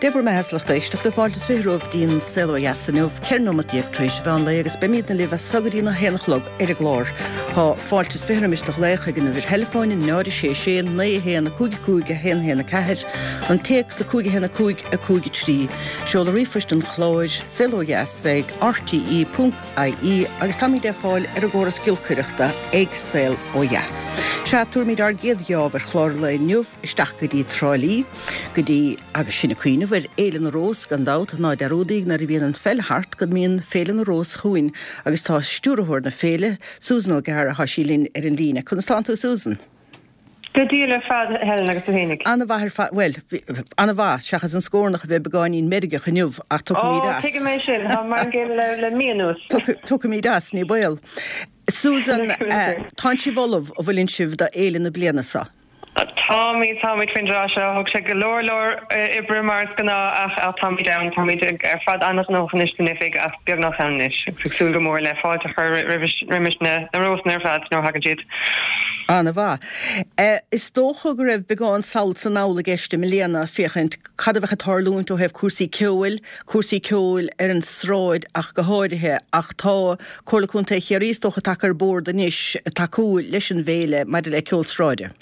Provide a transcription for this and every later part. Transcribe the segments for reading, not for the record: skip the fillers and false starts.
Dé bhur mbeatha, a lucht éisteachta, fáilte is 20 romhaibh dtí'n Saol Ó Dheas inniu, 14 nóimeat tar éis an mheán lae agus beimídne libh as so go dtí'n 1 a chlog ar an gclár. Tá fáilte is 20 roimis do ghlaoch ag an uimhir theileafóin 0 6 6 9 1 5 5 1 1 4, an téacs 5 1 5 5 3, seoladh ríomhphoist an chláir, saolodheas ag rte.ie agus táimíd ar fáil ar an gcóras giolcaireachta ag Saol Ó Dheas. Sea, tabharfaimid ár gcéad gheábh ar chlár an lae inniu isteach go dtí Trá Lí, go dtí, agus sinn ag cuimhneamh ar Fhéile na Rós, gan dabht, ná dearúdaíg nuair a bhíonn an pheil thart go mbíonn Féile na Rós chugainn agus tá stiúrthóir na féile, Susan O'Gara, tá sí linn ar an líne. Conas tánn tú, Susan? Go diail ar fad, a Helen, agus tú fhéinig? An-mhaith ar fad, bhuel, an-mhaith, seachas an scornach a bheith beagáinín meirgeach inniu, ach tiocfaimid as. Ó, tuigim é sin, tá mar an gcéanna le, le mí anuas. Tiocfaimid as, ní baol. Susan, tánn sibh ullamh, an bhfuileann sibh do fhéile na bliana seo? Táimid, táimid faoin dtráth seo. Thóg sé go leor leor oibre mar is gnáth ach táimid ann. Táimid ar fad an-ghnóthach anois san oifig ach beagnach ann anois agus ag súil go mór le fáilte a chur roimis na rósanna ar fad nuair a thagann siad. An-mhaith. Is dócha go raibh beagán sall 's anall i gceist i mbliana féachaint cad a bheadh ag tarlúint ó thaobh cúrsaí ceoil, cúrsaí ceoil ar an sráid ach go háirithe, ach tá Comhairle Contae Chiarraí is dócha tagtha ar bord anois tacú leis an bhféile maidir le ceol sráide.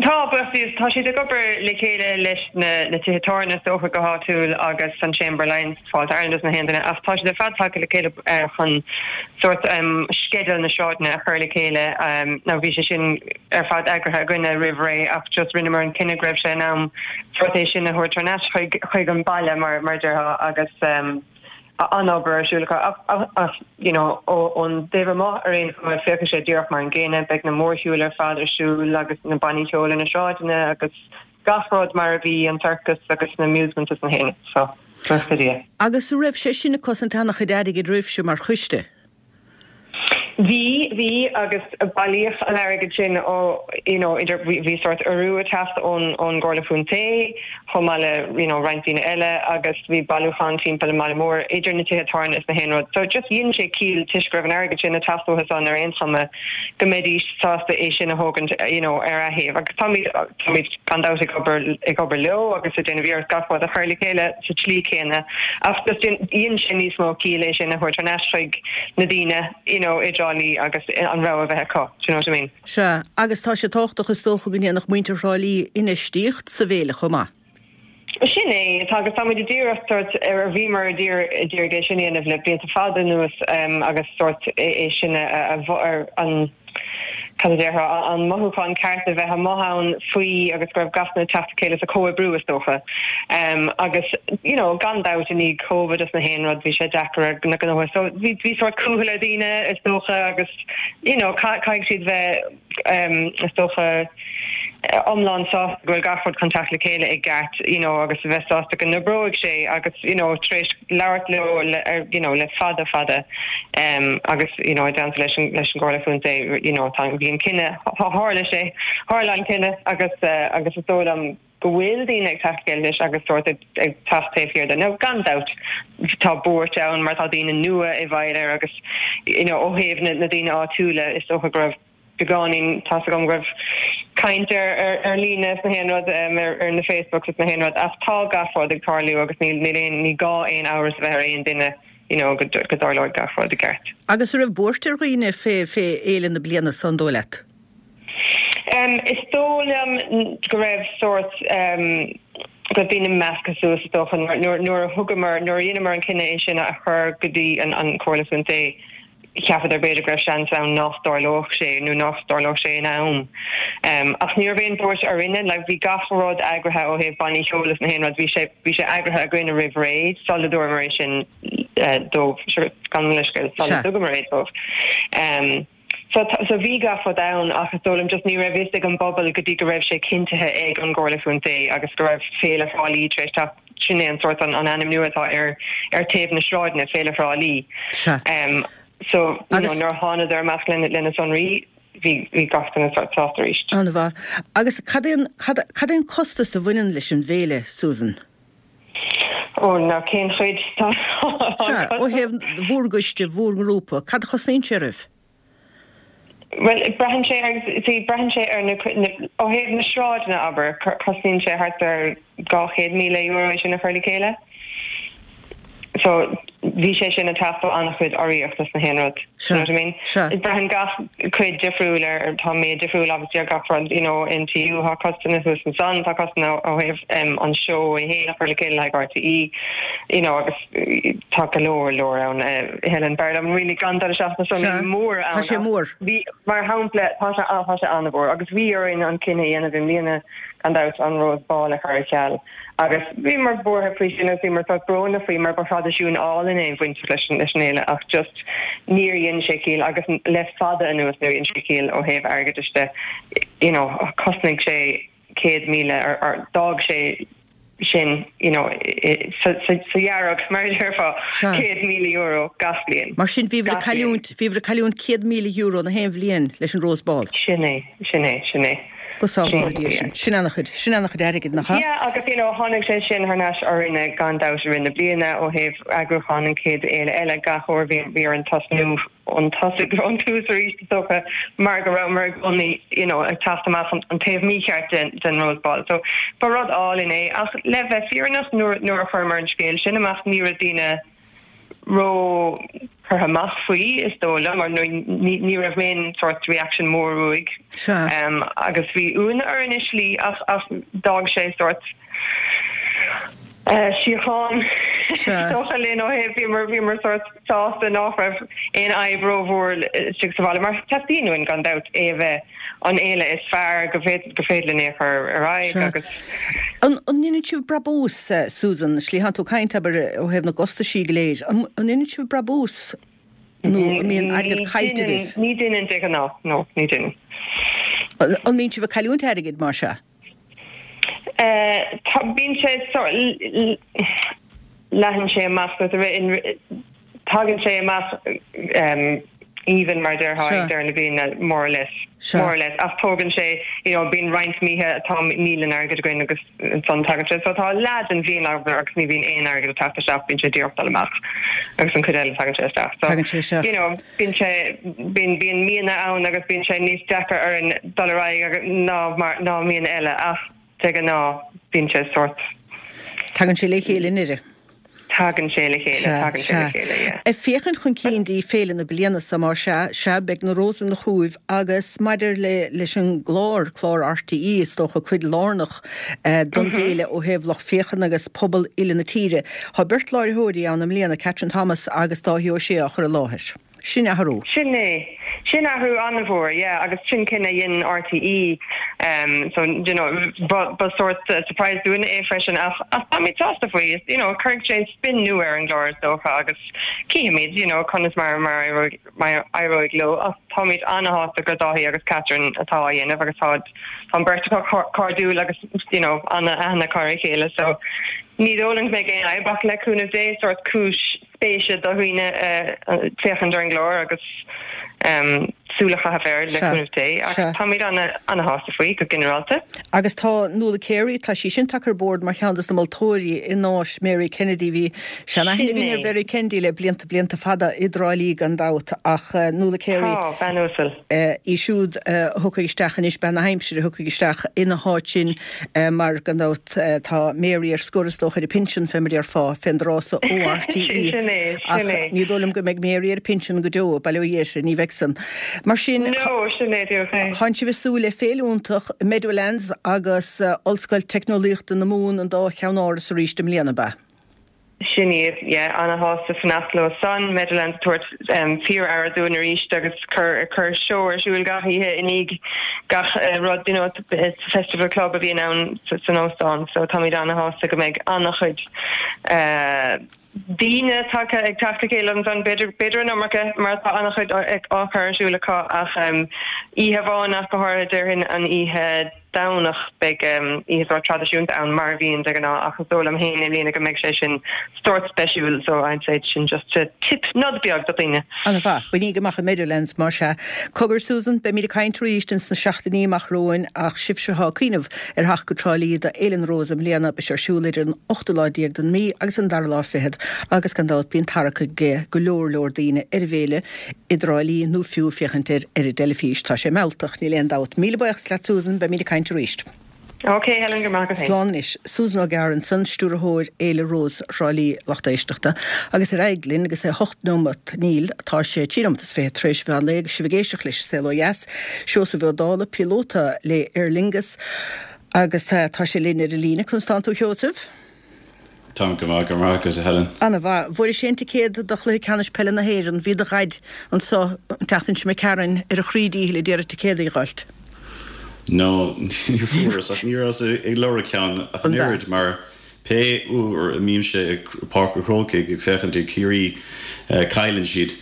Tá, buíochas le Dia. Tá siad ag obair le chéile leis na tithe tábhairne is dócha go háitiúil agus an Chamber Alliance, Fáilte Ireland is na haon duine ach tá siad ar fad tagtha le chéile chun sórt sceideal na sráideanna a chur le chéile. Now bhí sé sin ar fad eagraithe againne roimh ré ach just rinneamar an cinneadh go raibh sé in am sórt é sin a thabhairt thar n-ais chuig chuig an baile mar mar a déarfá agus an-obair ar siúl acu ach ach you know ón dtaobh amuigh ar aon chuma féachfaidh sé díreach mar an gcéanna beidh na mórshiúil ar fad ar siúl agus na bannaí ceoil ar na sráideanna agus gach rud mar a bhí an sorcas agus na amusements is na haon so buíochas le Dia. Agus an raibh sé sin ag cosaint an-chuid airgid oraibhse mar choiste? Bhí, bhí, agus bailíodh an airgead sin ó, you know, idir, bhí, bhí sórt urrú ag teacht ón, ón gComhairle Chontae chomh maith le, you know, roinnt daoine eile agus bhí bailiúchán timpeall an mbaile mór idir na tithe tábhairne is na haon rud. So just dhein sé ciall toisc go raibh an airgead sin ag teacht uathu san ar aon chuma go mbeidís sásta é sin a thógaint, you know, ar leaththaobh. Agus táimid, táimid gan dabht ag obair, ag obair leo agus ag déanamh iarracht gach rud a chur le chéile sa tslí chéanna ach just dhein, dhein sé níos mó ciall é sin a thabhairt thar n-ais chuig na daoine you know i dTrá Lí agus an rogha a bheith acu, do you know what I mean? Sea, agus tá sé tábhachtach is dócha go ndéanfadh muintir Thrá Lí infheistíocht sa bhféile chomh maith. Sin é, tá agus táimid ag iarraidh sórt, ar bhíomar ag iarraidh é sin a dhéanamh le blianta fada anuas agus sórt é sin a, ar an, cad a déarfá, an mothúchán ceart a bheith amuigh ann faoi agus go raibh gach duine ag teacht le chéile sa chomhoibriú is dócha. Agus you know gan dabht i ndiaidh Covid is na haon rud bhí sé deacair ar na gnóthaí so bhí bhí sórt cúthail ar dhaoine is dócha agus you know caithfidh siad bheith is dócha iomlán sásta go bhfuil gach rud chun teacht le chéile i gceart you know agus a bheith sásta go n-oibreoidh sé agus you know tar éis labhairt leo le ar you know le fada fada um agus you know i dteannta leis an leis an gComhairle Chontae you know tá bhí an cinneadh tharla sé tharla an cinneadh agus uh, agus is dóigh liom go bhfuil daoine ag teacht le chéile anois agus sórt ag ag teacht taobh thiar de. Now gan dabht tá buairt ann mar tá daoine nua i bhfeighil air agus you know ó thaobh na na daoine áitiúla is dócha go raibh beagáinín, tá's agam go raibh caint ar ar líne is na haon rud, ar na Facebooks is na haon rud ach tá gach rud ag tarlú agus níl níl aon ní gá aon amhras a bheith ar aon duine you know go go dtarlóidh gach rud i gceart. Agus an raibh buairt ar dhaoine fé fé fhéile na bliana so an dóigh leat? Is dóigh liom go raibh sórt go raibh daoine measctha suas is dócha nuair nuair a thugamar nuair a dheineamar an cinneadh é sin a chur go dtí an an Comhairle Chontae Cheapadar b'fhéidir go raibh seans ann nach dtarlódh sé nó nach dtarlódh sé in am. Ach ní raibh aon bhuairt orainne, like bhí gach rud eagraithe ó thaobh bannaí ceoil is na haon rud, bhí sé, bhí sé eagraithe againne roimh ré sula dúramar é sin dóibh, gabh mo leithscéal, sula dtugamar é dóibh. So, so bhí gach rud ann ach is dóigh liom just ní raibh fhios ag an bpobal go dtí go raibh sé cinntithe ag an gComhairle Chontae agus go raibh Féile Thrá Lí tar éis teacht Sin é an sórt an ainm nua atá ar ar taobh na sráideanna, Féile Thrá Lí. Sea. So, you know, nuair a thánadar amach lena lena sonraí, bhí bhí gach duine sórt sásta arís. An-mhaith. Agus cad é an cad cad é an costas a bhaineann leis an bhféile, Susan? Ó, now cén chuid? Tá Sea, ó thaobh bhur gcoiste, bhur ngrúpa, cad a chosnaíonn sé oraibh? Bhuel, braitheann sé ar, see, braitheann sé ar na, ó thaobh na sráideanna, abair, cosnaíonn sé thart ar €200,000 é sin a chur le chéile. So, bhí sé sin ag teacht ó an-chuid urraíocht is na haon rud. Do you know what I mean? Sea. Braitheann gach cuid difriúil ar, tá méid difriúil obviously ar gach rud, you know, NTU, tá costanna thuas ansan, tá costanna ó thaobh an seó é fhéin a chur le chéile le haghaidh RTÉ, you know, agus tá go leor, leor ann. Helen, b'fhearr liom really gan dul isteach sna sonraí móra ann. Tá sé mór. Bhí, mar shampla, tá sé, tá sé an-mhór agus bhí orainn an cinneadh a dhéanamh i mbliana gan dabht an Rose Ball a chur ar ceal. Agus bhíomar buartha faoi sin agus bhíomar sórt brónach faoi mar ba thraidisiún álainn é bainteach leis an fhéile ach just níor dhein sé ciall agus le fada anuas níor dhein sé ciall ó thaobh airgeadais de. You know, chosnaigh sé 100,000 ar, ar, d'fhág sé sin, you know, sa, sa, sa dhearg, mar a déarfá, €100,000 gach bliain. Mar sin bhíobhair ag cailliúint, bhíobhair ag cailliúint €100,000 na haon bhliain leis an Rose Ball. Sin é, sin é, sin é. Go sábhála Dia sinn. Sin an-chuid, sin an-chuid airgid, nach ea? Yeah, agus you know, tháinig sé sin thar n-ais orainne gan dabht i rith na bliana ó thaobh eagrúchán an chéad fhéile eile. Gach uair bhí, bhí orainn tosnú ón tosaigh, ón tús arís is dócha mar go rabhamar i gcónaí you know, ag teacht amach an, an taobh mícheart den, den Rose Ball. So ba rud álainn é ach le bheith fírinneach nuair, nuair a chuireamar an scéal sin amach ní raibh daoine, ró curtha amach faoi, is dóigh liom, mar ní raibh aon sórt reaction mór uaidh. Sea. Agus bhí ionadh orainn i slí ach ach d'fhág sé sórt síocháin is dócha linn ó thaobh bhíomar bhíomar sórt sásta nach raibh aon fhadhb rómhór istigh sa bhaile mar teastaíonn uainn gan dabht é a bheith an fhéile is fearr go gur féidir linn é a chur ar aghaidh agus. An ndeineann sibh brabús, Susan, slí thánn tú ag caint, abair, ó thaobh na gcostaisí go léir, an ndeineann sibh brabús nó an mbíonn airgead caillte agaibh? Ní deineann de ghnáth, no, ní deineann. An mbíonn sibh ag cailliúint airgid, mar sea? Tá, bíonn sé, leathann sé amach, tagann sé amach even mar a déarfá ag deireadh na bliana more or less, more or less ach tógann sé you know bíonn roinnt míthe atá níl an airgead againn agus ansan tagann sé so tá leath den bhliain againn agus ní bhíonn aon airgead ag teacht isteach bíonn sé díreach dul amach agus an chuid eile tagann sé isteach so Tagann sé isteach. you know bíonn sé bíonn bíonn míonna ann agus bíonn sé níos deacra orainn dul ar aghaidh ná mar ná míonna eile ach De ghnáth, bíonn sé sórt. Tagann sé le chéile i ndeireadh. Tagann sé le chéile, tagann sé le chéile, yeah. Ag féachaint chun cinn dtí féile na bliana seo, más ea, sea, beidh na Rósanna chugaibh agus maidir le, leis an gclár, clár RTÉ, is dócha, cuid lárnach don bhféile ó thaobh lucht féachana agus pobal uile na tíre. Tá beirt láithreoirí ann i mbliana, Catherine Thomas agus Dáithí Ó Sé á chur i láthair. Sin athrú. Sin é. Sin athrú an-mhór, yeah, agus sin cinneadh a dhein RTÉ, so, you know, ba, ba sórt surprise dúinne é freisin ach, ach táimid sásta faoi, you know, cuirfidh sé spin nua ar an gclár is dócha agus cífimid, you know, conas mar, mar éireoidh, mar éireoidh leo ach táimid an-shásta gur Dáithí agus Catherine atá á dhéanamh agus tá, tá an bheirt acu cairdiúil agus, you know, an-aithne acu ar a chéile so ní dóigh liom go mbeidh aon fhadhb ach le cúnamh Dé, sórt cúis spéise do dhaoine féachaint ar an gclár agus súil a chaitheamh air le cúnamh Dé ach táimid ana-shásta faoi go ginearálta. Agus tá Nuala Carey, tá sí sin tagtha ar bord mar cheann dos na moltóirí in áit Mary Kennedy. Bhí sean-aithne againn ar Mhary Kennedy le blianta blianta fada i dTrá Lí gan dabht ach Nuala Carey, Tá, bean uasal. í siúd a thiocfaidh isteach anois, bean na haimsire a thiocfaidh isteach ina háit sin mar gan dabht tá Mary ar scor is dócha ar a pinsean fé mar a déarfá, fén dtráth so ó RTÉ. Sin é, Ach sin é. ní dóigh liom go mbeidh Mary ar a pinsean go deo, bail ó Dhia uirthi, ní bheidh san. Mar sin, No, sin é, díreach é. Tánn sibh ag súil le féile iontach, Meadowlands agus Ollscoil Teicneolaíochta na Mumhan an dá cheann-áras arís i mbliana, ab ea? Sin iad, yeah, ana-shásta fanacht leo san, Meadowlands ag tabhairt fíor-aire dúinn arís agus cur, cur seó ar siúl gach oíche i ndiaidh gach rud, you know, it's festival club a bhíonn ann san óstán so táimid ana-shásta go mbeidh ana-chuid daoine tagtha ag teacht le chéile ansan, b'fhéidir, b'fhéidir an iomarca mar tá ana-chuid á chur ar siúl acu ach oíche amháin ach go háirithe déarfainn an oíche. Domhnach beidh oíche sórt traidisiúnta ann mar a bhíonn de ghnáth ach is dóigh liom féin i mbliana go mbeidh sé sin sórt speisiúil so I'd say sin just a tip, nod beag do dhaoine. An-mhaith. Bainigí amach an Meadowlands más ea. Cogar Susan, beimid ag caint arís ins na seachtainí amach romhainn ach sibhse atá ag cuimhneamh ar theacht go Trá Lí do Fhéile na Rós i mbliana, beidh sé ar siúl idir an ochtú lá déag den mí agus an dara lá fichead agus gan dabht bíonn tarrac ag go leor leor daoine ar an bhféile i dTrá Lí nó fiú féachaint air ar an dteilifís. Tá sé mealltach, níl aon dabht. Míle buíochas leat Susan, beimid ag caint arís. Ok Helen, go raibh maith agat féin. Slán anois. Susan Ó Gearra ansan, Stiúrthóir Fhéile Rós Thrá Lí, lucht éisteachta. Agus ar aghaidh linn agus é 8 nóimeat, níl, tá sé 3 nóimeat is 20 tar éis mheán lae agus sibh ag éisteacht leis an Saol Ó Dheas. Seosamh Ó Dálaigh, píolóta le Aer Lingus agus tá sé linn ar an líne. Conas tánn tú a Sheosaimh? Táim go maith, go raibh maith agat, a Helen. Ana-mhaith. Bhfuairis aon ticéad do chluiche ceannais peile na hÉireann? Bhí do dhaid anso an tseachtain seo imigh tharainn ar a chroí díchill ag iarraidh ticéad a dh'fháilt. No, ní fuaireas, ach ní rabhas ag lorg ceann ach an oiread mar pé uair a mbímse i Páirc an Chrócaigh ag féachaint ar Ciarraí cailleann siad.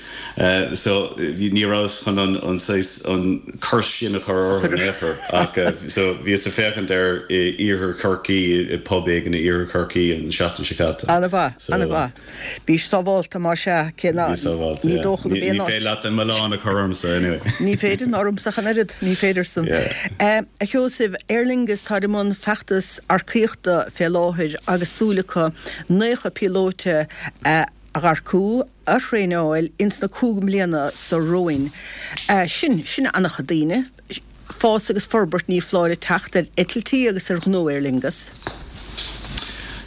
So ní rabhas chun an an saghas an curse sin a chur orthu in aon chor ach so bhíos ag féachaint air i iarthar Chorcaí i pub éigin i iarthar Chorcaí an seachtain seo caite. Ana-mhaith, So ana-mhaith. Bís sábhálta más ea, cé ná Bí sábhálta, ní yeah. dócha go Ní ní féidir leat an milleán a chur ormsa anyway. Ní féidir, ná ormsa ach an oiread, ní féidir san. Yeah. A Sheosaimh, Aer Lingus táid i mbun feachtas earcaíochta fé láthair agus súil acu 90 píolóite a earcú, a thraenáil ins na 5 mbliana so romhainn. Sin, sin an-chuid daoine. Fás agus forbairt ní foláir ag teacht ar eitiltí agus ar ghnó Aer Lingus.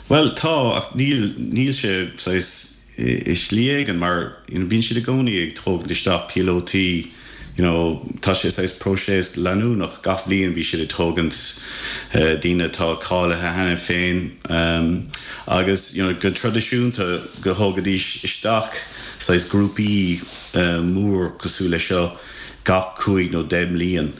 Bhuel, tá, ach níl, níl sé saghas i slí éigin mar, you know, bíonn siad i gcónaí ag tógaint isteach píolótaí, you know, tá sé saghas próiseas leanúnach, gach bhliain bíonn siad ag tógaint daoine atá cáilithe cheana féin agus, you know, go traidisiúnta go thógaidís isteach saghas grúpaí mór cosúil le seo gach cúig nó deich mbliain.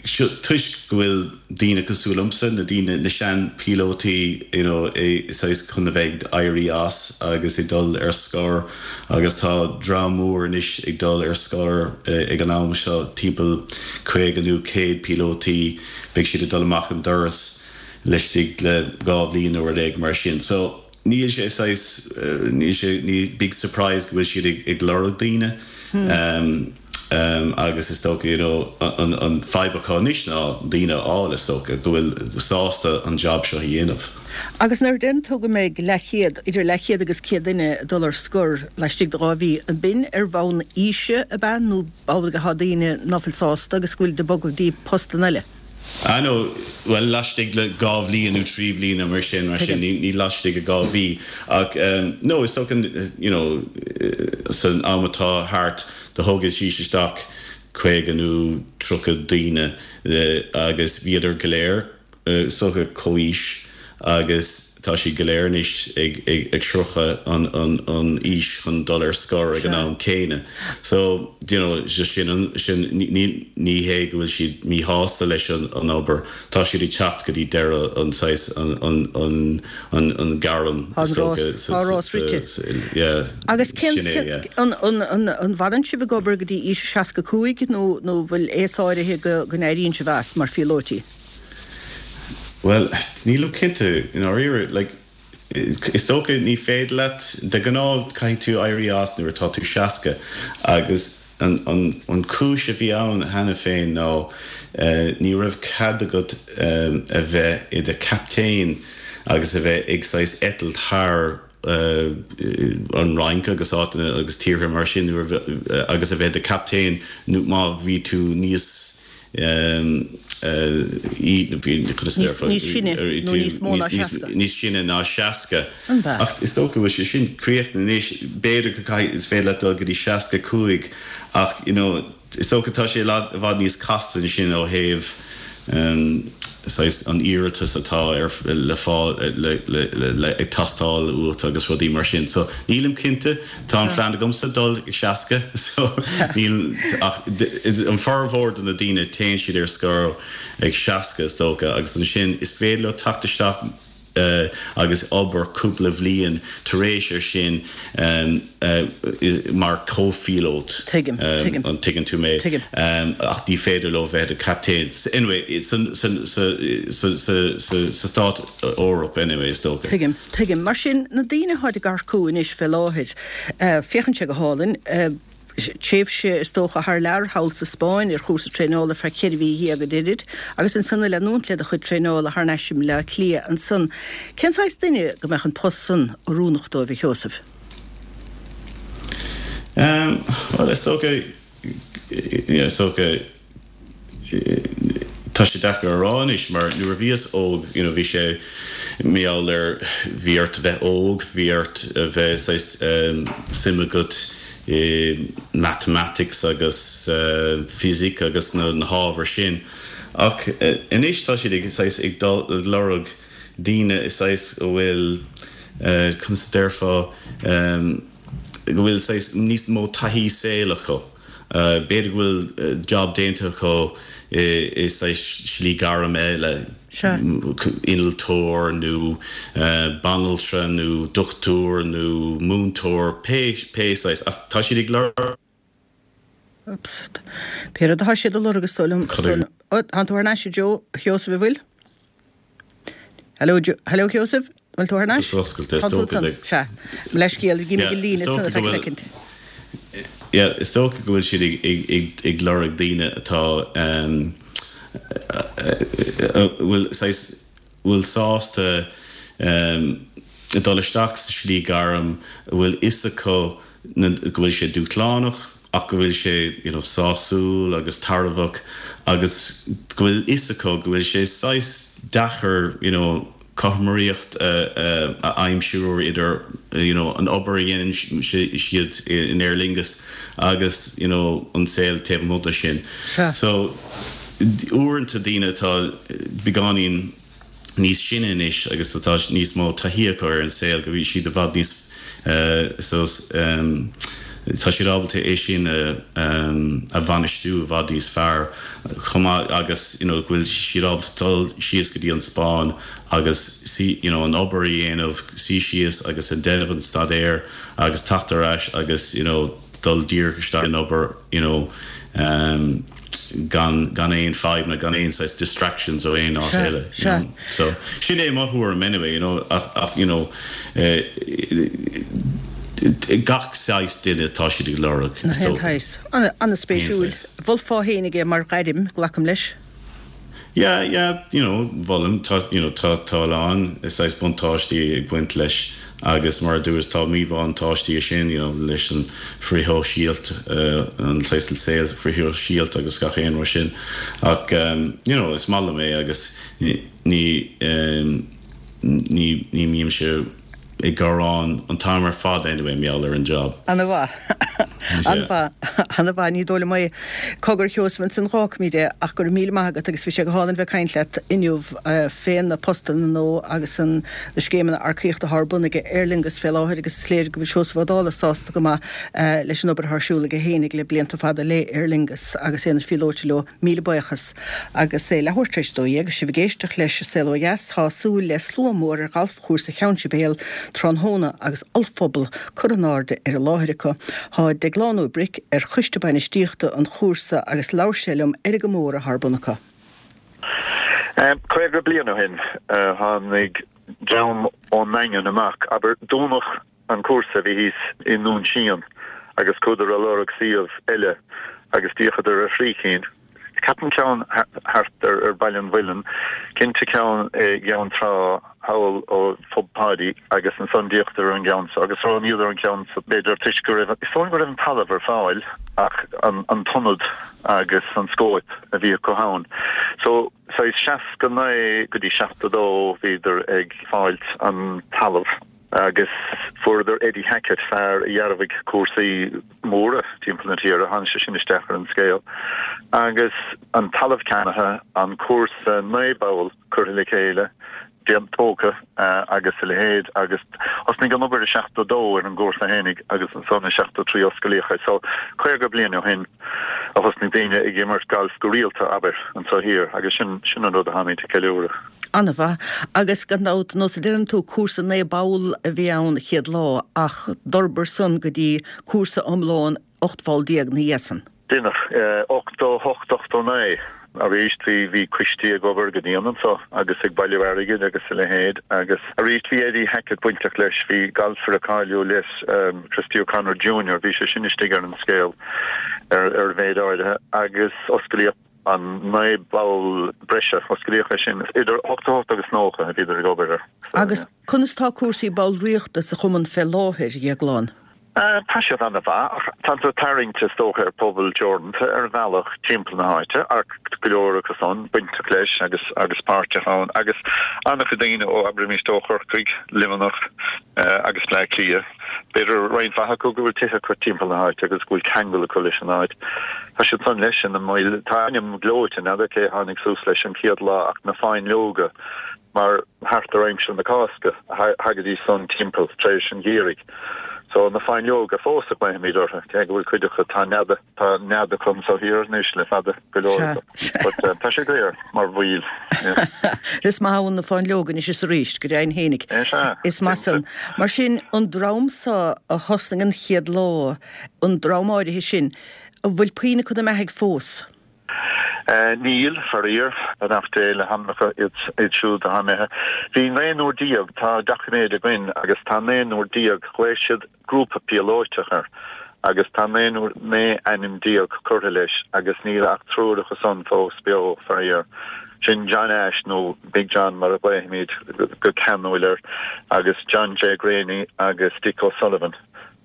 Toisc go bhfuil daoine cosúil liomsa, na daoine, na sean-phíolótaí, you know, saghas chun a bheith ag éirí as agus ag dul ar scor agus tá dream mór anois ag dul ar scor ag an am seo, timpeall 50 nó 100 píolótaí, beidh siad ag dul amach an doras laistigh le dhá bhliain nó rud éigin mar sin. So, níl sé saghas, níl sé, ní big surprise go bhfuil siad ag lorg daoine. Agus is dócha, you know, an fadhb acu anois ná daoine a fháil, is dócha, go bhfuil sásta an jab seo a dhéanamh. Agus nuair a deireann tú go mbeidh leathchéad, idir leathchéad agus 100 duine ag dul ar scor laistigh de dhá mhí, an b'in ar bhonn aoise ab ea nó amhlaidh atá daoine ná fuil sásta agus go bhfuil ag bogadh go dtí postanna eile? Ah no, bhuel laistigh le dhá bhliain nó trí bhliana mar sin, mar sin, ní laistigh de dhá mhí. Ach no, is dócha, you know, san am atá thart do thógaidís isteach 50 nó 30 daoine agus bhíodar go léir is dócha comhaois agus tá siad go léir anois ag sroicheadh an aois chun dul ar scor ag an am céanna. So, you know, just sin an, sin, ní, ní hé go bhfuil siad míshásta leis an obair, tá siad ag teacht go dtí deireadh an saghas, an, an, an, an, an gairm, is dócha, sa, sa, sa, yeah, Agus cén, sin é, yeah. an, an, an, an bhfanann sibh ag obair go dtí aois a 65 nó, nó bhfuil aos áirithe go, go n-éiríonn sibh as mar phíolóití? Bhuel, nílim cinnte, i ndáiríre. Like, is dócha ní féidir leat, de ghnáth caithfidh tú éirí as nuair atá tú 60 agus an, an, an chúis a bhí ann cheana féin ná ní raibh cead agat a bheith i do chaptaen agus a bheith ag saghas eitilt thar an Fhrainc agus áiteanna agus tíortha mar sin nuair agus a bheith i do chaptaen nó má bhí tú níos Níos sine nó níos mó ná 60. Níos sine ná 60. Ach is dócha go bhfuil sé sin críochnaithe anois. B'fhéidir go caithfidh, is féidir leat dul go dtí 65 ach you know is dócha tá sé i bhfad níos casta ansin ó thaobh saghas an iarratas atá ar le fáil le le le ag teastáil uait agus rudaí mar sin. So nílim cinnte. Tá an phlean agamsa dul ag 60 so níl ach an formhór de na daoine téann siad ar scor ag 60 is dócha agus ansin is féidir leo teacht isteach. agus obair cúpla bhliain tar éis ar sin mar comhphíolót. Tuigim, tuigim. An dtuigeann tú mé? Tuigim. Ach ní féidir leo bheith ina captaen. Anyway, sa Stát Eoraip anyway, is dócha. Tuigim, tuigim. Mar sin, na daoine atáid ag earcú anois fé láthair, féachann sé go hálainn, tréimhse is dócha thar lear thall sa Spáinn ar chúrsa traenála ar feadh cheithre mhí dhéag a deirid, agus ansan ag leanúint le do chuid traenála thar n-ais i mBleá Cliath ansan. Cén saghas duine go mbeadh an post san oiriúnach dóibh, a Sheosaimh? Bhuel, is dócha, is dócha, Tá sé deacair a rá anois mar nuair a bhíos óg you know bhí sé mar gheall ar bhí ort a bheith óg, bhí ort a bheith saghas suim agat i mathematics agus physic agus na hábhair sin ach anois tá siad ag saghas ag dul ag lorg daoine saghas a bhfuil conas a déarfá go bhfuil saghas níos mó taithí saoil acu. B'fhéidir go bhfuil job déanta acu i saghas slí gairm eile, innealtóir nó banaltra nó dochtúir nó múinteoir, pé pé saghas, ach tá siad ag lorg. Oops. Pé rud atá siad a lorg is dóigh liom, is dóigh liom. Ó, tánn tú thar n-ais a Joe, a Sheosaimh, an bhfuil? Hello, hello Sheosaimh, an bhfuil tú thar n-ais? Tá tú ansan, sea. Mo leithscéal, d'imigh an líne ansan ar feadh soicind. Yeah, is dócha go bhfuil siad ag lorg daoine atá, a bhfuil saghas, bhfuil sásta dul isteach sa slí gairm, a bhfuil fhios acu go bhfuil sé dúshlánach, ach go bhfuil sé you know sásúil agus tairbheach agus go bhfuil fhios acu go bhfuil sé saghas deacair you know cothromaíocht a aimsiú idir you know an obair a dhéanann siad in Aer Lingus agus you know an saol taobh amuigh de sin. So uaireanta daoine atá beagáinín níos sine anois agus atá níos mó taithí acu ar an saol, go bhfuil siad i bhfad níos so tá siad ábalta é sin a bhainistiú i bhfad níos fearr chomh maith agus you know go bhfuil siad ábalta dul síos go dtí an Spáinn agus suí you know an obair a dhéanamh, suí síos agus a déanamh an staidéar agus teacht ar ais agus you know dul díreach isteach in obair you know gan gan aon fadhbanna, gan aon saghas distractions ó aon áit eile, you know. So, sin é mo thuairim anyway, you know, ach ach you know gach saghas duine atá siad ag lorg, is dócha. Aon saghas. An-spéisiúil. Mholfá fhéinig é mar ghairm, glacaim leis. Yeah, yeah, you know, mholfainn, tá, you know, tá, tá a lán saghas buntáistí ag baint leis agus mar a dúras tá míbhuntáistí sin, you know, leis an frithshóisialt, an saghas saol frithshóisialta agus gach aon rud sin ach, you know, is maith liom é agus ní, ní, ní mbímse. ag gearán an t-am ar fad anyway mar gheall ar an job. Ana-mhaith. Ana-mhaith. Ana-mhaith. Ní dóigh liom é. Cogar, a Sheosaimh, ansan dh'fhágfaimid é ach go raibh míle maith agat agus bhí sé go hálainn bheith ag caint leat inniu fé na postanna nua agus an na scéimeanna earcaíochta atá ar bun ag Aer Lingus fé láthair agus is léir go bhfuil Seosamh Ó Dálaigh sásta go maith leis an obair atá ar siúl aige fhéinig le blianta fada le Aer Lingus agus é ina phíolóta leo. Míle buíochas. Agus é leathuair tar éis a 12, sibh ag éisteacht leis An Saol Ó Dheas, tá súil le slua mór ar ghalfchúrsa Cheann Sibéal tráthnóna agus ollphuball curtha in airde ar an láthair acu. Tá Deaglán Ó Bric ar choiste bainistíochta an chúrsa agus labhair sé liom ar an gcomóradh atá ar bun acu. 50 bliain ó shin tháinig dream ón nDaingean amach, abair, dúnadh an cúrsa a bhí thíos i nDún Síon agus chuadar a lorg suíomh eile agus d'fhéachadar ar thrí cinn. Ceapaim ceann thart ar Baile an Mhuilinn, cinnte ceann i gCeann Trá thall ó Phub Pháidí agus ansan d'fhéachadar ar an gceann so agus roghnaíodar an ceann so b'fhéidir toisc go raibh, is dóigh go raibh an talamh ar fáil ach an t-ionad agus an scóip a bhí acu ann. So saghas 69 go dtí 72 bhíodar ag fáilt an talamh. Agus fuaireadar Eddie Hackett, fear a dhearbhaigh cúrsaí móra timpeall na tíre, tháinig sé sin isteach ar an scéal. Agus an talamh ceannaithe, an cúrsa 9 bpoll curtha le chéile. Déanta tógtha agus a leithéid agus thosnaigh an obair i 72 ar an gcúrsa fhéinig agus ansan i 73 osclaíodh é. So 50 bliain ó shin a thosnaigh daoine ag imirt gailf go rialta, abair, anso thiar agus sin sin an rud atáimid ag ceiliúradh. An-mhaith. Agus gan dabht, nós a deireann tú, cúrsa 9 bpoll a bhí ann chéad lá ach d'fhorbair san go dtí cúrsa iomlán 18 bpoll ina dhiaidh san. Déanach, 88, 89, arís bhí, bhí coistí ag obair go dian anso agus ag bailiú airgid agus a leithéid agus arís bhí Eddie Hackett bainteach leis, bhí galfaire cáiliúil leis, Christy O'Connor Junior, bhí sé sin istigh ar an scéal ar, ar mhéid áirithe agus osclaíodh an 9 bpoll breise, osclaíodh é sin idir 88 agus 90 a bhíodar ag obair air. So, Agus yeah. conas tá cúrsaí ballraíochta sa chumann fé láthair, a Dhéagláin? Tá siad an-mhaith, ach tá tú tarraingt is dócha ar pobal teoranta ar bhealach timpeall na háite, ach go leor acu san bainteach leis agus agus páirteach ann, agus an-chuid daoine ó, abraimis, ó Chorcaigh, Luimneach agus Bleá Cliath. B'fhéidir roinnt mhaith acu go bhfuil tithe acu timpeall na háite agus go bhfuil ceangal acu leis an áit. Tá siad san leis ina mbaill. Tá ainm gleoite, n'fheadar cé a tháinig suas leis an chéad lá ach na Fáinleoga. mar thart ar aimsir na Cásca a thagaidís san timpeall tar éis an gheimhridh. So na fáinleoga fós a ghlaofaimid orthu, cé go bhfuil cuid acu, tá nead, tá nead acu anso thiar anois le fada, go leor Sea, acu. sea. But tá sé daor mar bhaill, yeah. Is maith ann na fáinleoga anois is arís, go deimhin fhéinig. É sea, Is maith cinnte. san. Mar sin, an dream so a thosnaigh an chéad lá, an dream áirithe sin, an bhfuil puinn acu 'na mbeathaidh fós? Níl, faraor, beannacht Dé le hanamacha iad siúd atá imithe. Bhí naonúr déag, tá doiciméid againn agus tá naonúr déag, ghlaoigh siad grúpa píolóiteach air agus tá naonúr, 19 ainm curtha leis agus níl ach triúr acu san fós beo, faraor. Sin John Ashe nó Big John mar a ghlaofaimid go ceanúil air agus John J. Graney agus Dick O'Sullivan.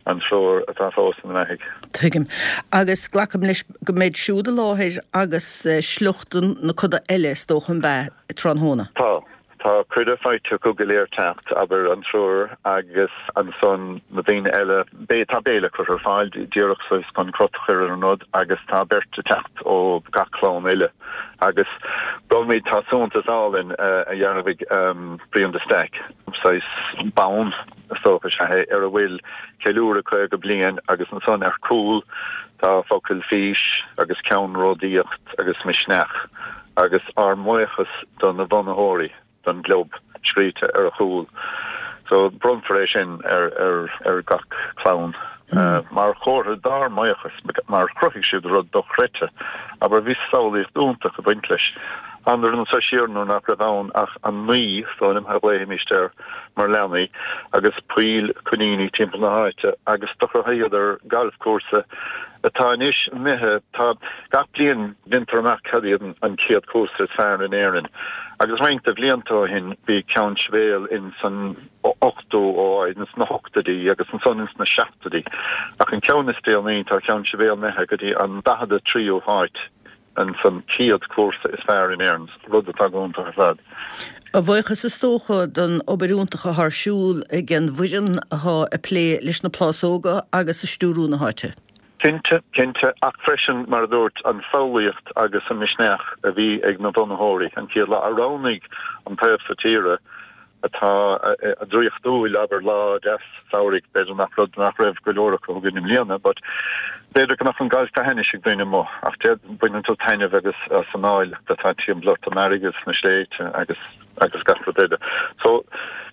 an triúr atá fós ina mbeathaidh. Tuigim. Agus glacaim leis go mbeid siúd i láthair agus sliocht na coda eile is dócha an b'ea, tráthnóna? Tá. Tá cuireadh faighte acu go léir teacht, abair, an triúr agus ansan na daoine eile. Beidh, tá béile curtha ar fáil díreach saghas chun crot a chur ar an rud agus tá beirt ag teacht ó gach clann eile. Agus bronnfaimid, tá suaitheantas álainn a dhearbhaigh Brian de Staic, saghas bonn, is dócha, is ea é, ar a bhfuil ceiliúradh 50 bliain agus ansan ar cúl tá focail fís agus ceannródaíocht agus misneach agus ár mbuíochas do na bunaitheoirí don gclub scríte ar a chúl. So bronnfar é sin ar ar gach clann mar chomhartha dár mbuíochas mar chruthaigh siad rud dochreidte. Abair bhí samhlaíocht iontach ag baint leis. Thánadar anso siar nuair nach raibh ann ach an naoi, is dóigh liom, a ghlaofaimíst air mar leanaí, agus poill coiníní timpeall na háite agus do chruthaíodar galfchúrsa atá anois imithe, tá, gach bliain déantar amach cad iad an chéad chúrsa is fearr in Éirinn agus roinnt de bhlianta ó shin bhí Ceann Sibéal in san ochtú áit, ins na hochtóidí agus ansan ins na seachtóidí ach an ceann is déanaí tá Ceann Sibéal imithe go dtí an 43ú háit. ins an chéad chúrsa is fearr in Éirinn, rud atá go hiontach ar fad. A bhuíochas is dócha don obair iontach atá ar siúl ag an bhfoireann atá ag plé leis na plásóga agus ag stiúrú na háite. Cinnte, cinnte, ach freisin, mar a dúirt, an samhlaíocht agus an misneach a bhí ag na bunaitheoirí an chéad lá, a roghnaigh an taobh so tíre atá draíochtúil, abair, lá deas samhraidh, b'fhéidir nach rud nach raibh go leor acu againn i mbliana, but b'fhéidir go mbeadh an galf go hainnis ag daoine amuigh, ach baineann tú taitneamh agus as an áilleacht atá timpeall ort, an fharraige is na sléibhte agus agus gach rud eile. So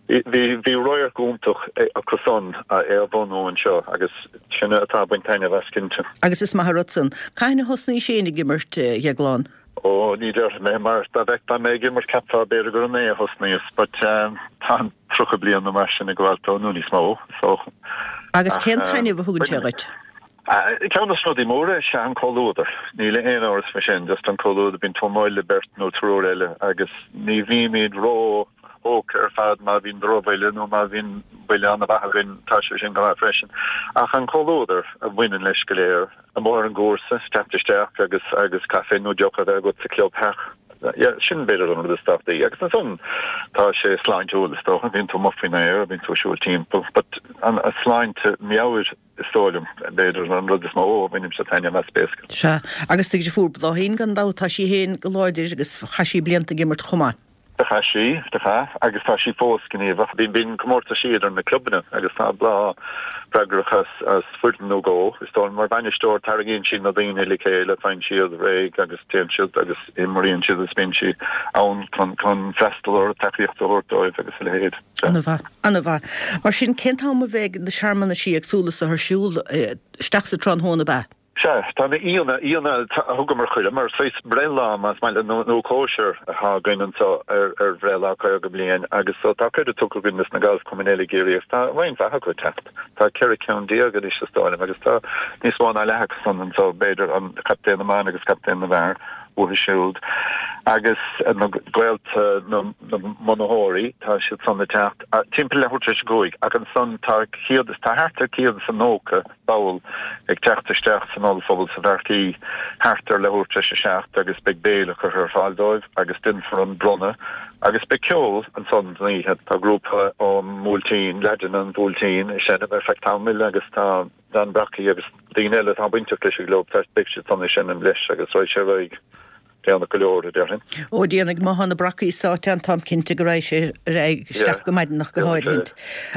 bhí bhí radharc iontach acu san é a bhunú anseo agus sinne atá ag baint taitneamh as cinnte. Agus is maith an rud san. Cathain a thosnaís féin ag imirt, a Dhéagláin? Ó, ní déarfaidh mé, mar dá bhfeicfeá mé ag imirt cheapfá b'fhéidir gur inné a thosnaíos, but tá an 30 bliain nó mar sin ag gabháil dó, nó níos mó, so. Agus cén taitneamh a thugann sé dhuit? Ceann de na rudaí móra is ea an comhluadar. Níl aon amhras faoi sin, just an comhluadar, bíonn tú amuigh le beirt nó triúr eile agus ní bhímid ró thógtha ar fad má bhíonn drochbhuille nó má bhíonn buille an-mhaith againn, tá sé sin go maith freisin. Ach an comhluadar a bhaineann leis go léir. amuigh ar an gcúrsa, teacht isteach agus agus caife nó deoch a bheith agat sa clubtheach. Yeah, sin b'fhéidir an rud is tábhachtaí. Agus ansan tá sé sláintiúil is dócha, bíonn tú amuigh faoin aer, bíonn tú ag siúl timpeall, but an sláinte meabhair is dóigh liom, b'fhéidir an rud is mó a bhainimse taitneamh as basically. Sea, agus do dheirfiúr Bláithín gan dabht, tá sí féin go láidir agus chaith sí blianta ag imirt chomh maith. Do chaith sí, do chaith, agus tá sí fós gníomhach. Bíonn comórtaisí idir na clubanna agus tá Bláth freagrach as as foireann nó dhó. Is dóigh liom mar bhainisteoir tarraingíonn sí na daoine le chéile, faigheann siad réidh agus téann siad agus imríonn siad agus bíonn sí ann chun chun freastal orthu, tacaíocht a thabhairt dóibh agus a leithéid. Ana-mhaith, ana-mhaith. Mar sin, cén t-am a bheidh na searmanaisí éagsúla so ar siúl? Isteach sa tráthnóna, ab ea? Sea, tá na aíonna, aíonna a thugamar cuireadh mar saghas breithlá, más maith leat, nó cóisir atá againn anseo ar ar bhreithlá 50 bliain agus so tá cuireadh tugtha againn dos na galfchumainn eile i gCiarraí agus tá roinnt mhaith acu ag teacht. Tá 14 ceann anois is dóigh liom agus tá níos mó ná leath acu san anseo, b'fhéidir, an captaen na mban agus captaen na bhfear uathu siúd agus na gaolta na mbunaitheoirí, tá siad san ag teacht timpeall leathuair tar éis a cúig ach ansan tá céad is, tá thart ar 190 ball ag teacht isteach san ollphuball sa Pháirc Uí thart ar leathuair tar éis a 7 agus beidh béile curtha ar fáil dóibh agus déanfar an bronnadh agus beidh ceol ansan don oíche. Tá grúpa ón mBuailtín, leaideanna an Bhuailtín, ag seinm ar feadh tamaill agus tá Dan Brockie agus daoine eile atá bainteach leis an gclub, beidh siad san ag seinm leis agus raghaidh sé ar aghaidh. Déanach go leor, a déarfainn. Ó, déanfaidh, má thá na Brockies sáite ann, táim cinnte go raghaidh sé ar aghaidh isteach go maidin ach go háirithint.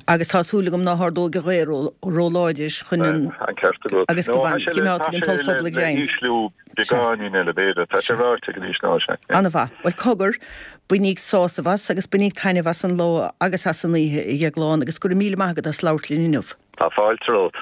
Agus tá súil agam ná hardóidh an ghaoth ró-láidir chun an, An ceart agat. agus go gcoimeádfaidh an t-ollphuball ag greim. Tá sé le hísliú beagáinín eile, b'fhéidir. Tá sé ráite go n-ísleoidh sé. Ana-mhaith. Bhuel, cogar, bainíg sásamh as agus bainíg taitneamh as an lá agus as an oíche, a Dhéagláin, agus go raibh míle maith agat as labhairt linn inniu. Tá fáilte romhat.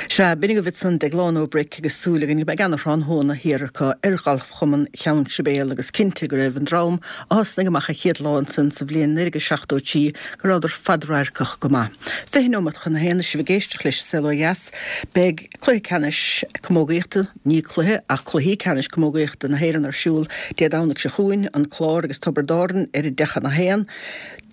Sea, b'in agaibh ansan Deaglán Ó Bric agus súil againn go mbeidh ana-thráthnóna thiar acu ar Ghalfchumann Cheann Sibéal agus cinnte go raibh an dream a thosnaigh amach an chéad lá ansan sa bhliain 1973 go rabhadar fadradharcach go maith. 20 neomat chun a haon is sibh ag éisteacht leis An Saol Ó Dheas. Beidh cluiche ceannais camógaíochta, ní cluiche ach cluichí ceannais camógaíochta na hÉireann ar siúl Dé Domhnaigh seo chugainn, An Clár agus Tiobraid Árann ar a deich chun a haon.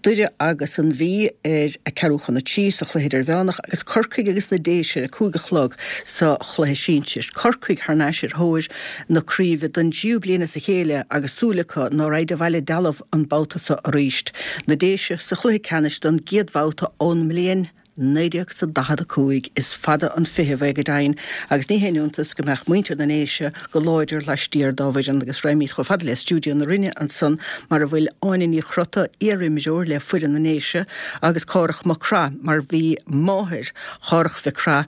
Doire agus an Mhí ar a ceathrú chun a 3 sa chluiche idirmheánach agus Corcaigh agus na Déise ar a 5 a chlog sa chluiche sinsir. Corcaigh thar n-ais ar thóir na craoibhe don dtríú bliain as a chéile agus súil acu ná raghaid abhaile dealbh an babhta so arís. Na Déise sa chluiche ceannais don gcéad bhabhta ón mbliain 1945. Is fada an feitheamh é go deimhin agus ní haon iontas go mbeadh muintir na nDéise go láidir laistiar dá bhfoireann agus raghaimid chomh fada le stiúideo na Rinne ansan mar a bhfuil Áine Ní Chrota, iar-imreoir le foireann na nDéise agus Cárthach Mac Craith mar bhí máthair Chárthach Mhic Craith,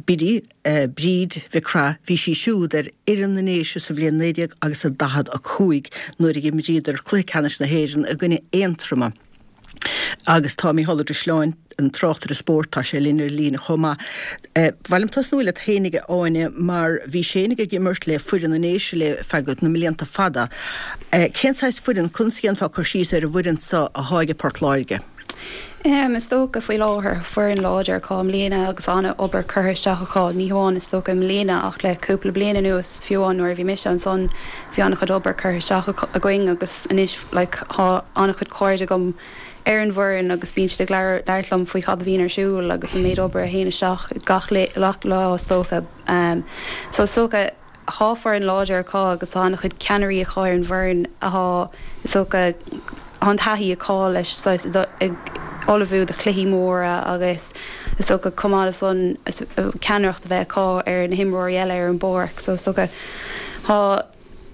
Biddy, Bríd Mhic Craith, bhí sí siúd ar fhoireann na nDéise sa bhliain 19 agus a 45 nuair a dh'imríodar cluiche ceannais na hÉireann i gcoinne Aontroma. Agus tá Mícheál Ó Drisleáin, an tráchtaire spóirt, tá sé linn ar líne chomh maith. Ba mhaith liom tosnú leat fhéinig, a Áine, mar bhís fhéinig ag imirt le foireann na nDéise le feadh na mblianta fada. Cén saghas foireann, conas a dhéanfá cur síos ar an bhfoireann so athá aige Port Láirge? Is dócha faoi láthair, foireann láidir acu i mbliana agus an-obair curtha isteach acu, ní hamháin is dócha i mbliana ach le cúpla bliain anuas, fiú amháin nuair a bhí mise ansan bhí an-chuid obair curtha isteach againn agus anois like thá an-chuid cairde agam ar an bhfoireann agus bíonn siad ag labhairt liom faoi cad a bhíonn ar siúl agus an méid obair a théann isteach gach lá is dócha. So is dócha thá foireann láidir acu agus tá an-chuid ceannairí acu ar an bhfoireann athá is dócha thá an taithí acu leis saghas ag ullmhú do chluichí móra agus is dócha chomh maith le san ceannaireacht a bheith acu ar na himreoirí eile ar an bpáirc so is dócha thá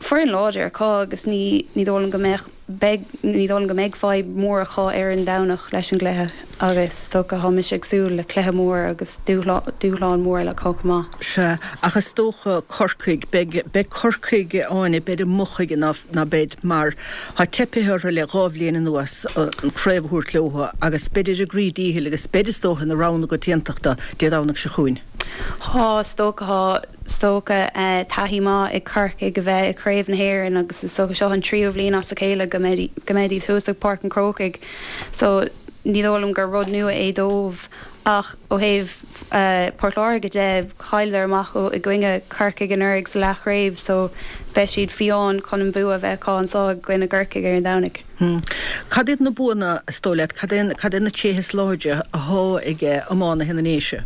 foireann láidir acu agus ní ní dóigh liom go mbeadh, beidh, ní dóigh liom go mbeidh fadhb mhór acu ar an Domhnach leis an gcluiche agus is dócha tá mise ag súil le cluiche mór agus dúshlán mór eile acu chomh maith. Sea, ach is dócha Corcaigh, beidh, beidh Corcaigh, Áine, beid amuigh chuige ná, ná beid mar tá teipithe orthu le 2 bhliain anuas an craobh a thabhairt leo agus beid ar a gcroí díchill agus beid is dócha ina rogha na coitiantachta Dé Domhnaigh seo chugainn. Thá, is dócha, thá, is dócha, taithí maith ag Corcaigh a bheith i gCraobh na hÉireann agus is dócha seo an tríú bhliain as a chéile go mbeidh, go mbeidh thuas ag Páirc an Chrócaigh so ní dóigh liom gur rud nua é dóibh ach ó thaobh Port Láirge de, chailleadar amach i gcoinne Corcaigh anuraidh sa leathchraobh so beidh siad fiáin chun an bua a bheith acu anseo i gcoinne gCorcaigh ar an Domhnach. Cad iad na buanna, is dóigh leat, cad é, cad é na tréithe is láidre athá ag iománaithe na nDéise?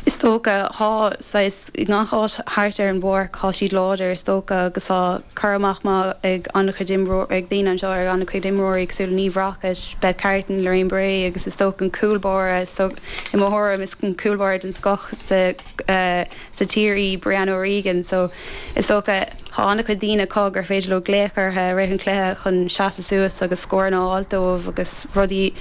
Is dócha, thá saghas, i ngach áit thart ar an bpáirc, thá siad láidir is dócha agus thá cur amach maith ag an-chuid imreoirí, ag daoine anseo ar an-chuid imreoirí cosúil le Niamh Rockett, Beth Carton, Lorraine Bray agus is dócha an cúl báire, so i mo thuairim is an cúl báire den scoth sa sa tír í Brianna O'Regan so is dócha thá an-chuid daoine acu gur féidir leo glaoch orthu i rith an chluiche chun seasamh suas agus scóranna a fháilt dóibh agus rudaí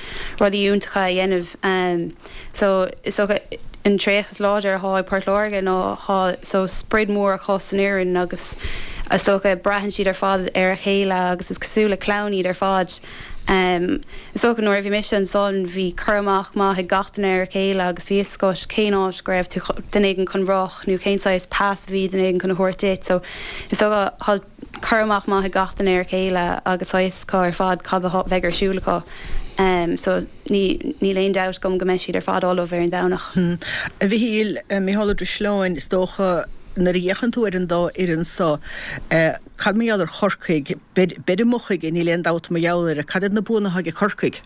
rudaí iontacha a dhéanamh. So, is dócha, an tréith is láidir athá ag Port Láirge ná thá so sprid mór acu san fhoireann agus is dócha braitheann siad ar fad ar a chéile agus is cosúil le clann iad ar fad. Is dócha nuair a bhí mise ansan bhí cur amach maith ag gach duine ar a chéile agus bhí fhios agat cén áit go raibh tú duine éigin chun rith nó cén saghas pas a bhí duine éigin chun a thabhairt duit. So, is dócha thá cur amach maith ag gach duine ar a chéile agus tá fhios acu ar fad cad a bheidh ar siúl acu. So. Níl aon dabht agam go mbeidh siad ar fad ullamh ar an Domhnach. A Mhichíl, Micheál Ó Drisleáin, is dócha, nuair a fhéachann tú ar an dá fhoireann so, cad mar gheall ar Chorcaigh? Beid amuigh chuige, níl aon dabht mar gheall air. Cad iad na buanna atá ag Corcaigh?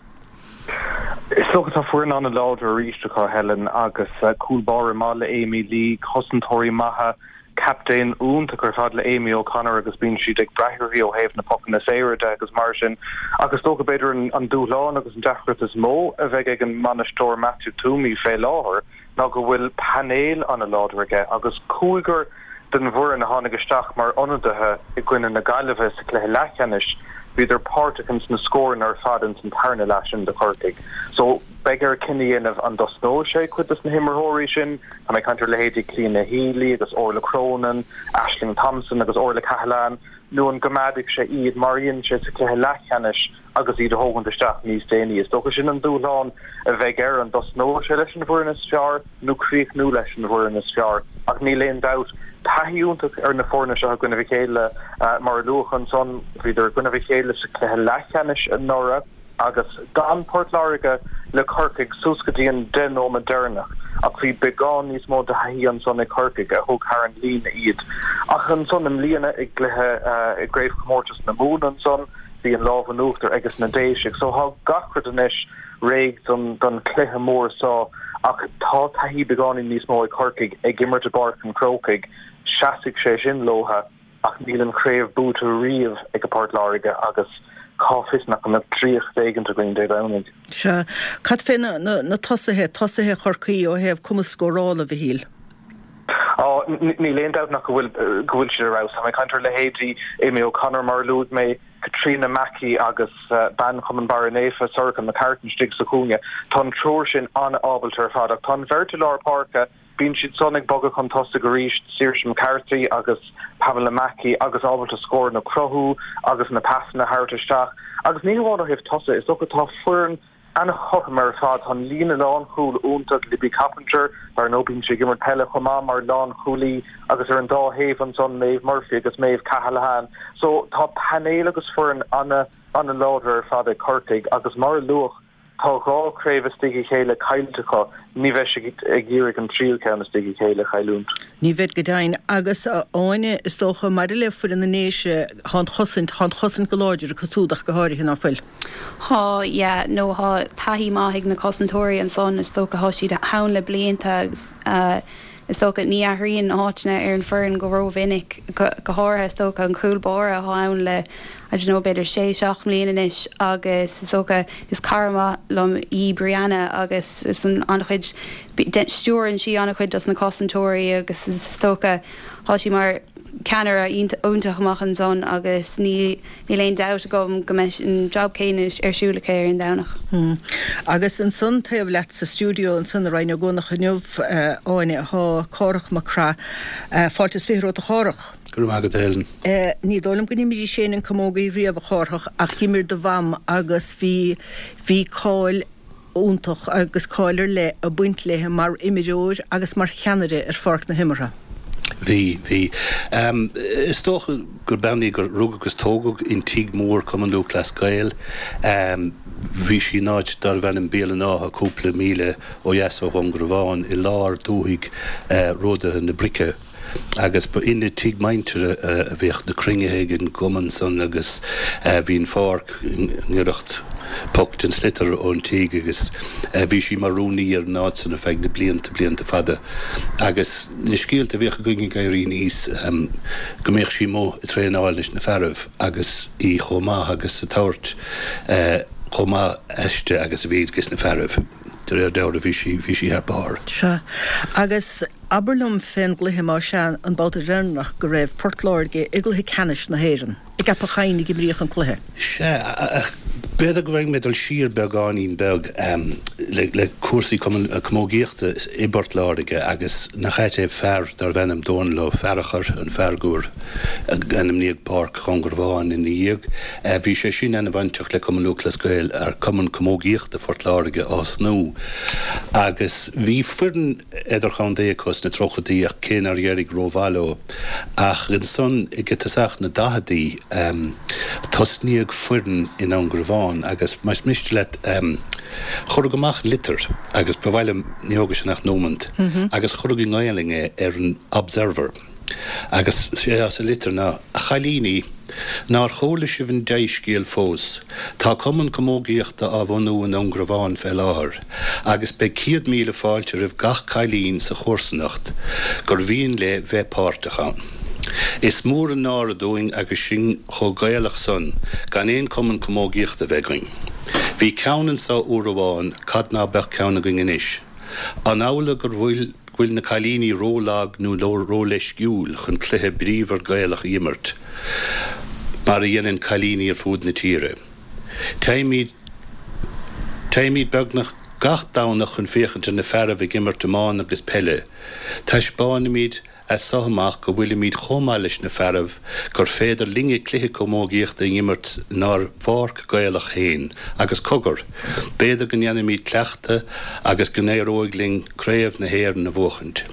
Is dócha tá foireann an-láidir arís acu, Helen, agus cúl báire maith le Amy Lee, cosantóirí maithe, Captaen iontach ar fad le Amy O'Connor agus bíonn siad ag brath uirthi ó thaobh na pocanna saora de agus mar sin. Ach is dócha b'fhéidir an dúshlán agus an deacracht is mó a bheidh ag an mbainisteoir Matthew Twomey fé láthair ná go bhfuil painéal an-láidir aige agus cúigear den bhfoireann a tháinig isteach mar ionadaithe i gcoinne na Gaillimhe sa chluiche leathcheannais, bhíodar páirteach ins na scóranna ar fad ins an tarna leath sin do Chorcaigh. So. Beidh air cinneadh a dhéanamh an dtosnóidh sé cuid des na himreoirí sin, tá mé ag caint ar leithéidí Clíona Healy agus Orla Cronin, Ashling Thompson agus Orla Cahalane, nó an gcoimeádfaidh sé iad mar a dhein sé sa chluiche leathcheannais agus iad a thógaint isteach níos déanaí. Is dócha sin an dúshlán a bheidh air, an dtosnóidh sé leis an bhfoireann is fearr nó críochnú leis an bhfoireann is fearr. Ach níl aon dabht, taithí iontach ar na foirne seo i gcoinnibh a chéile, mar a luadh ansan, bhíodar i gcoinnibh a chéile sa chluiche leathcheannais anuraidh. agus d'fhan Port Láirge le Corcaigh suas go dtí an 10 nóiméad deireanach ach bhí beagán níos mó de thaithí ansan ag Corcaigh a thug thar an líne iad. Ach ansan i mbliana i gcluiche i gCraobhchomórtas na Mumhan ansan bhí an lámh in uachtar aiges na Déisigh. So thá gach rud anois réidh don don chluiche mór so ach tá taithí beagáinín níos mó ag Corcaigh ag imirt i bPáirc an Chrócaigh. Seasfaidh sé sin leotha. Ach níl an chraobh buaite riamh ag Port Láirge agus cá bhfios nach mbeadh draíocht éigint againn Dé Domhnaigh. Sea. Cad fé na tosaithe, tosaithe Chorcaí ó thaobh cumas scórála, a Mhichíl? Á, níl aon dabht nach go bhfuil, go bhfuil siad ar fheabhas. Tá mé ag caint ar leithéidí Amy O'Connor mar a luaigh mé, Caitríona Mackey agus bean Chumann Barra Naofa, Sorcha McCartan istigh sa chúinne. Tá an triúr sin an-ábalta ar fad ach tá an bheirt i lár páirce, Bíonn siad san ag bogadh chun tosaigh arís, Saoirse McCarthy agus Pamela Mackey agus ábalta scóranna a chruthú agus na pasanna a thabhairt isteach. Agus ní hamháin ó thaobh tosaigh, is dócha tá foireann an-chothrom ar fad. Tá an líne lánchúil iontach, Libby Coppinger, dar ndóigh bíonn sí ag imirt peile chomh maith mar lánchúlaí agus ar an dá thaobh ansan Maeve Murphy agus Maeve Cahalane. So tá painéal agus foireann an-an-láidir ar fad ag Corcaigh agus mar a luadh, Tá 2 craobh istigh a chéile caillte acu, ní bheidh siad ag iarraidh an tríú ceann istigh a chéile a chailliúint. Ní bheidh go deimhin. Agus, a Áine, is dócha, maidir le foireann na nDéise, thá an chosaint, thá an chosaint go láidir acu súd ach go háirithe, ná fuil? Thá, yeah, nó thá taithí maith ag na cosantóirí ansan, is dócha, thá siad ann le blianta agus is dócha, ní athraíonn áiteanna ar an foireann go rómhinic, go háirithe, is dócha, an cúl báire athá ann le, I don't know, b'fhéidir sé, seacht mbliana anois agus is dócha, is cara maith liom í Brianna agus is an-chuid, stiúrann sí an-chuid dos na cosantóirí agus is dócha, thá sí mar ceannaire iontach amach ansan agus ní, níl aon dabht agam go mbeidh an job céanna ar siúl aici ar an Domhnach. Agus ansan taobh leat sa stiúideo ansan i Rinn Ó gCuanach inniu, a Áine, thá Cárthach Mac Craith. Fáilte is 20 romhat a Chárthach. Go raibh maith agat, a Helen. Ní dóigh liom go n-imrís féin an camógaí riamh, a Chárthach, ach d'imir do mham agus bhí, bhí cáil iontach agus cáil ar leith ag baint léi mar imreoir agus mar cheannaire ar pháirc na himeartha. Bhí, bhí. Is dócha gur bean í gur rugadh agus tógadh in tigh mór Cumann Lúthchleas Gael. Bhí sí in áit darbh ainm Béal an Átha, cúpla míle ó dheas ó Dhún Garbhán, i lár dúthaigh ródaithe na Brice. Agus ba ina tigh muintire a bhíodh na cruinnithe ag an gcumann san agus bhí an pháirc i ngiorracht poc den sliotar ón tigh agus bhí sí mar rúnaí ar an áit san ar feadh na blianta, blianta fada. Agus na scéalta a bhíodh againn ag éirí aníos go mbíodh sí amuigh ag traenáil leis na fearaibh agus í chomh maith agus ag tabhairt chomh maith aisti agus a bhí ages na fearaibh. De réir dealraimh bhí sí, bhí sí thar barr. Sea. Agus abair liom fén gcluiche, más ea, an babhta deireanach go raibh Port Láirge i gcluiche ceannais na hÉireann. I gCeapach Chadhain a imríodh an cluiche. Sea, ach b'fhéidir go bhfaighidh mé dul siar beagáinín beag le cúrsaí camógaíochta i bPort Láirge agus nach ait é fear darbh ainm Dónal Ó Fearachair, an fear gur ainmníodh Páirc Dhún Garbhán ina dhiaidh. Bhí sé sin ana-bhainteach le Cumann Lúthchleas Gael, Cumann Camógaíochta Phort Láirge a thosnú agus bhí foireann idirchontae acu sna tríochaidí ach cé nár éirigh rómhaith leo. Ach ansan ag tosach na daicheadaí tosnaíodh foireann i nDún Garbhán agus más miste leat chuireadh amach litir agus ba mhaith liom, ní thógfaidh sin ach nóimint, agus chuireadh i nGaelainn é ar an Observer. Agus sé atá sa litir ná, A chailíní, nár chuala sibh an dea-scéal fós? Tá Cumann Camógaíochta á bhunú i nDún Garbhán fé láthair, agus beidh 100,000 fáilte roimh gach cailín sa chomharsanacht gur mhian léi bheith páirteach ann. Is mór an náire dúinn agus sinn chomh Gaelach san gan aon Cumann Camógaíochta bheith againn. Bhí ceann anso uair amháin, cad ná beadh ceann againn anois? An amhlaidh gur bhfuil. go bhfuil na cailíní ró-lag nó ró-leisciúil chun cluiche bríomhar Gaelach a imirt, mar a dhéanann cailíní ar fud na tíre. Téimid Téimid beagnach gach Domhnach chun féachaint ar na fearaibh ag imirt iomána agus peile. Taispeánfaimid as so amach go bhfuilimid chomh maith leis na fearaibh, gur féidir linne cluiche camógaíochta a imirt inár bpáirc Gaelach féin, agus cogar, b'fhéidir go ndéanfaimid cleachtadh agus go n-éireoidh linn Craobh na hÉireann a bhuachaint.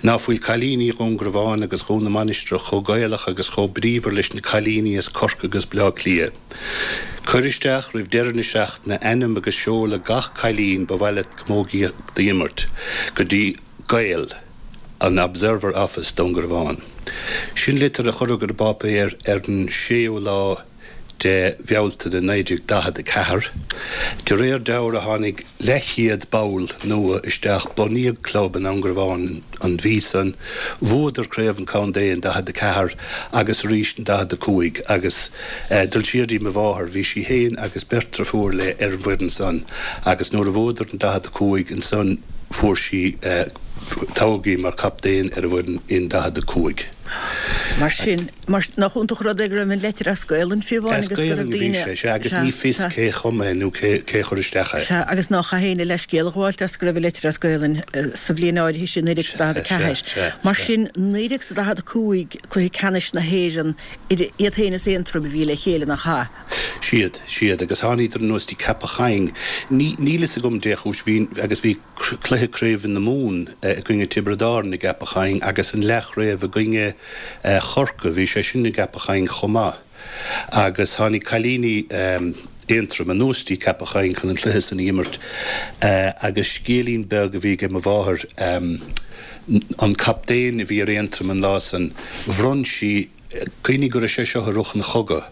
Ná fuil cailíní Dhún Garbhán agus Dhún na Mainistreach chomh Gaelach agus chomh bríomhar leis na cailíní as Corcaigh agus Bleá Cliath? Cuir isteach roimh deireadh na seachtaine ainm agus seoladh gach cailín ba mhaith leat camógaíocht a imirt go dtí Gael, an Observer Office, Dún Garbhán. Sin litir a cuireadh ar an bpáipéar ar an séú lá de Bhealtaine 1944. De réir dealraimh tháinig leathchéad ball nua isteach, bunaíodh club i nDún Garbhán an mhí san, bhuadar craobh an chontae in 44 agus arís in 45 agus dul siar dtí mo mháthair, bhí sí féin agus beirt driofúr léi ar an bhfoireann san agus nuair a bhuadar in 45 ansan fuair sí, toghadh í mar chaptaen ar an bhfoireann in 45. Mar sin. Mar, nach iontach an rud é go raibh an leitir as Gaolainn fiú amháin As agus go raibh Gaolainn a bhí daoine, sé, sea, agus sea, ní fios sea. cé chum é nó cé, cé chuir isteach é. Sea, agus nách chaith éinne leithscéal a ghabháilt as go raibh an leitir as Gaolainn sa bhliain áirithe sin, Sea, 1944. sea, Mar sea. sin, 1945, Cluiche Ceannais na hÉireann, idir iad féin is Aontroim a bhí le chéile, nach ea? Siad, siad, agus tháiníodar anuas dtí Ceapach Chaing. Ní, níl fhios agam dé chúis, bhí, agus bhí. cluiche craoibhe na Mumhan i gcoinne Tiobraid Árann i gCeapach Chaing agus an leathchraobh i gcoinne Chorcaí, bhí sé sin i gCeapach Chaing chomh maith. Agus tháinig cailíní Aontroim anuas dtí Ceapach Chaing chun an cluiche san a imirt agus scéilín beag a bhí aige mo mháthair, an captaen a bhí ar Aontroim an lá san, bhronn sí, Cuimhnigh go raibh sé seo i rith an chogaidh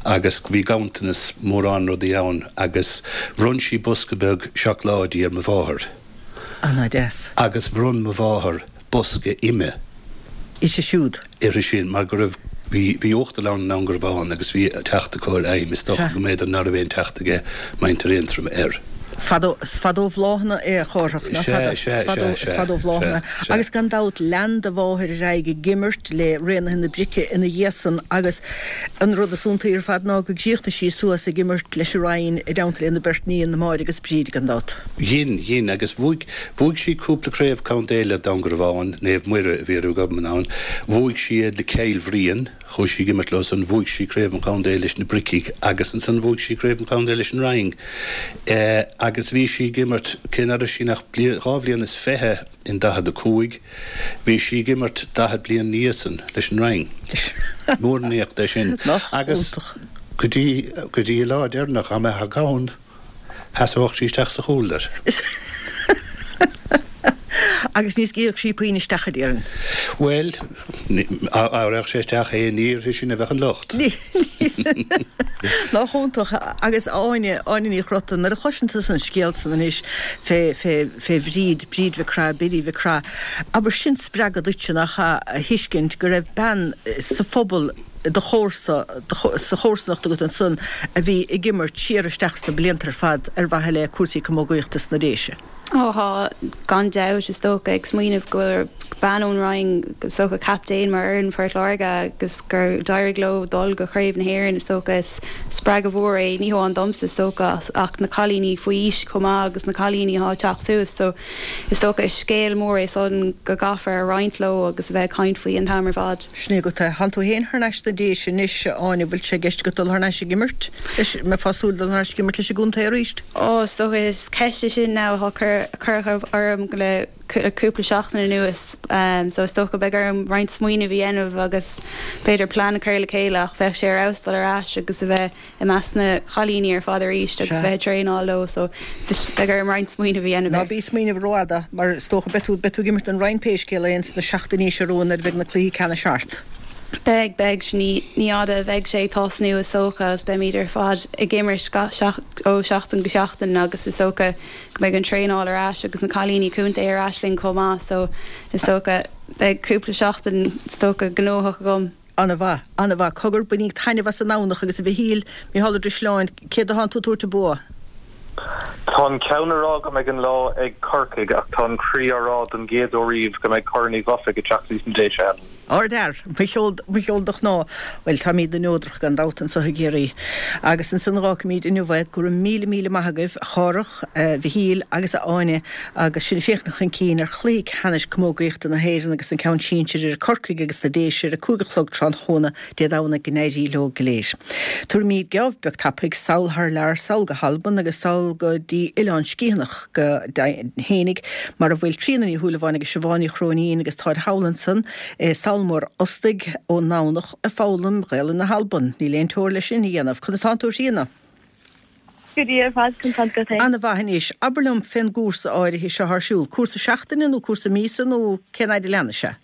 agus bhí ganntanas mórán rudaí ann agus bhronn sí bosca beag seacláidí ar mo mháthair. Ana-deas. Agus bhronn mo mháthair bosca ime. Uirthi siúd. Uirthi sin mar go raibh, bhí, bhí uachtarlann i nDún Garbhán agus bhí teacht acu ar im, is dócha go mb'fhéidir ná raibh aon teacht aige muintir Aontroim air. Fadó, is fada ó bhláthanna é a Chárthach, nach Sea, fada? sea, Is fada, sea, is sea, fada ó bhláthanna. sea, sea. Agus gan dabht, lean do mháthair ar aghaidh ag imirt le Raonaithe na Brice ina dhiaidh san agus an rud is iontaí ar fad ná go gcríochnaigh sí suas ag imirt leis an Rinn i dteannta lena beirt níon, Máire agus Bríd, gan dabht. Dhein, dhein, agus bhuaigh, bhuaigh sí cúpla craobh contae le Dún Garbhán, Naomh Muire a bhí ar a gcumann ann, bhuaigh sí iad le Cill Bhriain, Chuaigh sí ag imirt leo san, bhuaigh sí craobh an chontae leis na Bricigh agus ansan bhuaigh sí craobh an chontae leis an Rinn. Agus bhí sí ag imirt, cé ná raibh sí ach bliain, dhá bhliain is fiche in 45, bhí sí ag imirt daichead bliain ina dhiaidh san leis an Rinn. Mór an éacht é sin. Nach Agus iontach. go dtí, go dtí a lá deireanach, dá mbeifeá gann, sheasódh sí isteach sa chúl leat. Agus ní scaoilfeadh sí puinn isteach, a déarfainn. Bhuel, dá raghadh sé isteach é, ní uirthi sin a bheadh an locht. Nach iontach. Agus Áine, Áine Ní Chrotaigh, nuair a chloiseann tusa an scéal san anois fé, fé, fé Bhríd, Bríd Mhic Craith, Biddy Mhic Craith, abair sin spreagadh duitse, nach ea, a thuiscint go raibh bean sa phobal i do chomharsa, sa chomharsanacht agat ansan a bhí ag imirt siar isteach sna blianta ar fad ar mhaithe le cúrsaí camógaíochta sna Déise. Ó thá, gan dabht, is dócha, ag smaoineamh go bhfuil bean ón Rinn, is dócha, captaen mar fhoireann Phort Láirge agus gur d'éirigh leo dul go Craobh na hÉireann, is dócha, is spreagadh mhór é, ní hamháin domsa, is dócha, ach na cailíní faoi aois chomh maith agus na cailíní atá ag teacht suas. So, is dócha, is scéal mór é san go gcaithfear a roinnt leo agus a bheith ag caint faoi an t-am ar fad. Sin é agat é. Thánn tú féin thar n-ais sna Déise anois, a Áine, bhfuil sé i gceist agat dul thar n-ais ag imirt leis, mbeifeá ag súil dul thar n-ais ag imirt leis an gcontae arís? Ó, is dócha, is ceist é sin now atá curtha orm le cúpla seachtain anuas so is dócha beidh orm roinnt smaoineamh a dhéanamh agus b'fhéidir plean a chur le chéile ach bheadh sé ar fheabhas dul ar ais agus a bheith i measc na chailíní ar fad arís agus a bheith ag traenáil leo so beidh orm roinnt smaoineamh a dhéanamh Ná bí ag smaoineamh rófhada mar is dócha beidh tú beidh tú ag imirt don Rinn pé scéal é ins na seachtainí seo romhainn nuair a bheidh na cluichí ceannais thart. Beidh, beidh, ní fhada a bheidh sé ag tosnú is dócha agus beimid ar fad ag imirt ó sheachtain go seachtain agus is dócha go mbeidh an traenáil ar ais agus na cailíní contae ar ais linn chomh maith so is dócha beidh cúpla seachtain is dócha gnóthach agam. An-mhaith, an-mhaith. Cogar, bainíg taitneamh as an nDomhnach agus a Mhichíl, Micheál Ó Drisleáin, céard atánn tú ag tabhairt an bua? Tá an ceann ag rá go mbeidh an lá ag Corcaigh ach tá an croí á rá don gcéad uair riamh go mbeidh Corn Uí Dhufaigh ag teacht sna Déise, Helen. Ardfhear! Mo cheol, mo cheol do chná. Bhuel, táimídne neodrach gan dabht anso i gCiarraí. Agus ansan dh'fhágfaimíd inniu é. Go raibh míle, míle maith agaibh, a Chárthach, a Mhichíl agus a Áine, agus sinn ag féachaint chun cinn ar chluiche ceannais camógaíochta na hÉireann agus an ceann sinsir idir Corcaigh agus na Déise ar a 5 a chlog tráthnóna Dé Domhnaigh go n-éirí leo go léir. Tabharfaimid geábh beag tapaidh sall thar lear, sall go hAlbain agus sall go dtí Oileán Sgitheanach go deimhin fhéinig mar a bhfuil Tríona Ní Shúilleabháin agus Siobhán Ní Chróinín agus táid thall ansan i Sabhal Mór Ostaig ón nDomhnach ag foghlaim Ghaelainn na hAlban. Níl aon teora le sin a dhéanamh. Conas tánn tú a Thríona? Go diail ar fad, conas tánn tú féin? Ana-mhaith anois. Abair liom fén gcúrsa áirithe seo ar siúl. Cúrsa seachtaine nó cúrsa míosa nó cén fhaid a leanfaidh sé?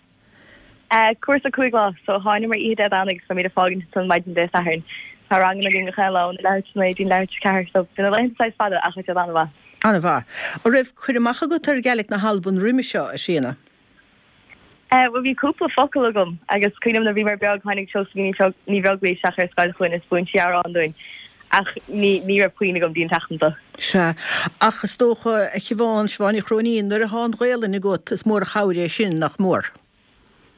Cúrsa 5 lá, so thánamar oíche Dé Domhnaigh agus beimid ag fágaint ansan maidin Dé Sathairn. Tá ranganna againn gach aon lá óna leathuair tar éis 9 dtí leathuair tar éis 4, so bíonn na laethanta saghas fada ach tá siad an-mhaith. An-mhaith. An raibh cur amach agat ar Ghaelic na hAlban roimhe seo, a Thríona? Bhuel bhí cúpla focal agam agus cuimhním nuair a bhíomar beag tháinig Seosaimhín Ní Bheaglaoich isteach ar scoil chugainn is mhúin sí amhrán dúinn ach ní ní raibh puinn agam dtí an tseachtain seo. Sea, ach is dócha, a Shiobhán, Siobhán Ní Chróinín, nuair atá an Ghaelainn agat, is mór an chabhair é sin, nach mór?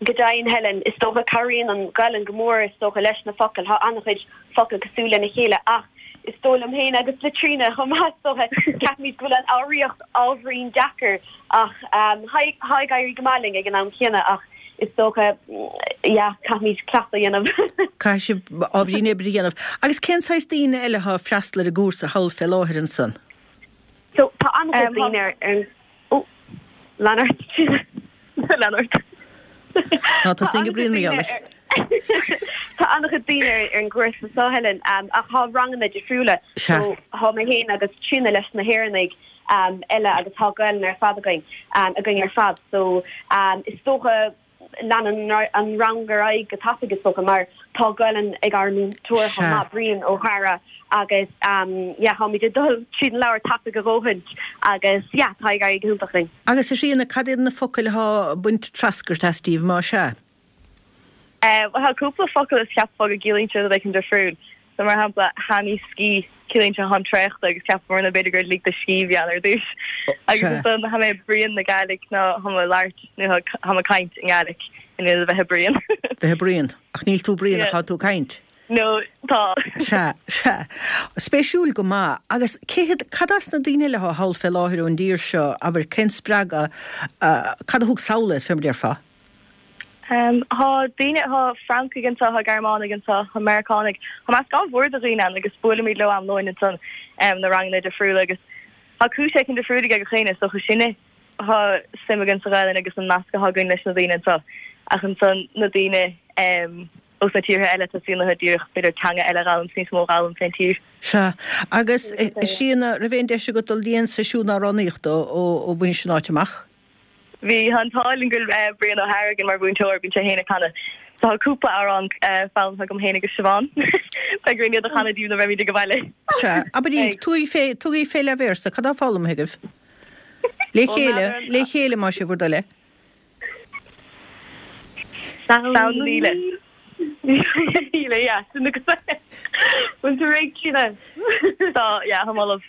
Go deimhin, Helen, is dócha, cabhraíonn an Ghaelainn go mór, is dócha, leis na focail. Tá an-chuid focal cosúil lena chéile ach is dóigh liom féin, agus le Tríona chomh maith, is dócha, ceapaimid go bhfuil an fhoghraíocht ábhairín deacair ach tá ag éirí go maith linn ag an am céanna ach is dócha, yeah, caithfimid cleachtadh a dhéanamh. Caithfidh sibh ábhairín oibre a dhéanamh. Agus cén saghas daoine eile atá ag freastal ar an gcúrsa thall fé láthair ansan? So, tá an-chuid daoine ar an, oh, lean ort, Tríona. Lean ort. Ná tosaigh ag bruíon mo gheall leis. Tá an-chuid daoine ar an gcúrsa seo, Helen, ach tá ranganna difriúla. So, tá mé féin agus Tríona leis na hÉireannaigh eile agus tá Gaelainn ar fad againn, againn ar fad. So, is dócha leanann an rang ar aghaidh go tapaidh is dócha mar tá Gaelainn ag ár múinteoir chomh maith, Brian Ó hEadhra agus yeah táimid ag dul tríd an leabhar tapaidh a dhóthaint agus yeah tá ag éirí go hiontach linn. Agus a Thríona, cad iad na focail atá ag baint treascairt as díbh, más ea? Bhuel tá cúpla focal is cheapfá go gciallaíonn siad rud éicint difriúil. So mar shampla, tha mi sgìth, ciallaíonn sé tháim traochta agus cheapamar b'fhéidir gur lig do scíth a bhí ann ar dtús. Agus ansan tha mi a' bruidhinn na Gàidhlig ná tha mé ag labhairt nó tha mé ag caint i nGàidhlig in ionad a bheith ag bruíon. Bheith ag bruíon. Ach níl tú ag bruíon ach tá tú ag caint. No, tá. Sea, sea. Spéisiúil go maith. Agus cé hiad, cad as na daoine eile atá thall fé láthair ón dtír seo, abair, cén spreagadh, cad a thug sall iad, fé mar a déarfá? Tá daoine, tá Francaigh anseo, tá Gearmánaigh anseo, tá Meiriceánaigh, tá meascán mhór de dhaoine ann agus buailimid leo am lóin ansan na ranganna difriúla agus tá cúis éicint difriúil ag gach éinne, is dócha sinne tá suim againn sa Ghaelainn agus an nasc atá againn leis na daoine anseo ach ansan na daoine ós na tíortha eile tá suim acu díreach b'fhéidir teanga eile a dh'fhoghlaim 's níos mó a dh'fhoghlaim fén tír. Sea. Agus a Thríona, raibh aon deis agat dul dtí aon seisiún amhránaíochta ó bhainis an áit amach? Bhí, tá an t-ádh linn go bhfuil Brian O'Hara againn mar mhúinteoir, bíonn sé féin ag canadh. So tá cúpla amhrán foghlamtha agam féin agus Siobhán. Beidh orainn iad a chanadh daoibh nuair a bheimid ag baile. Sea, abraigí, tugaigí fé, tugaigí fé leathbhéarsa, cad tá foghlamtha agaibh? Le chéile, le chéile más é bhur dtoil é. Samhna Míle. Míle, yeah, sin agat é. Bhfuil tú réidh, Tríona? Tá, yeah, tá mé ullamh.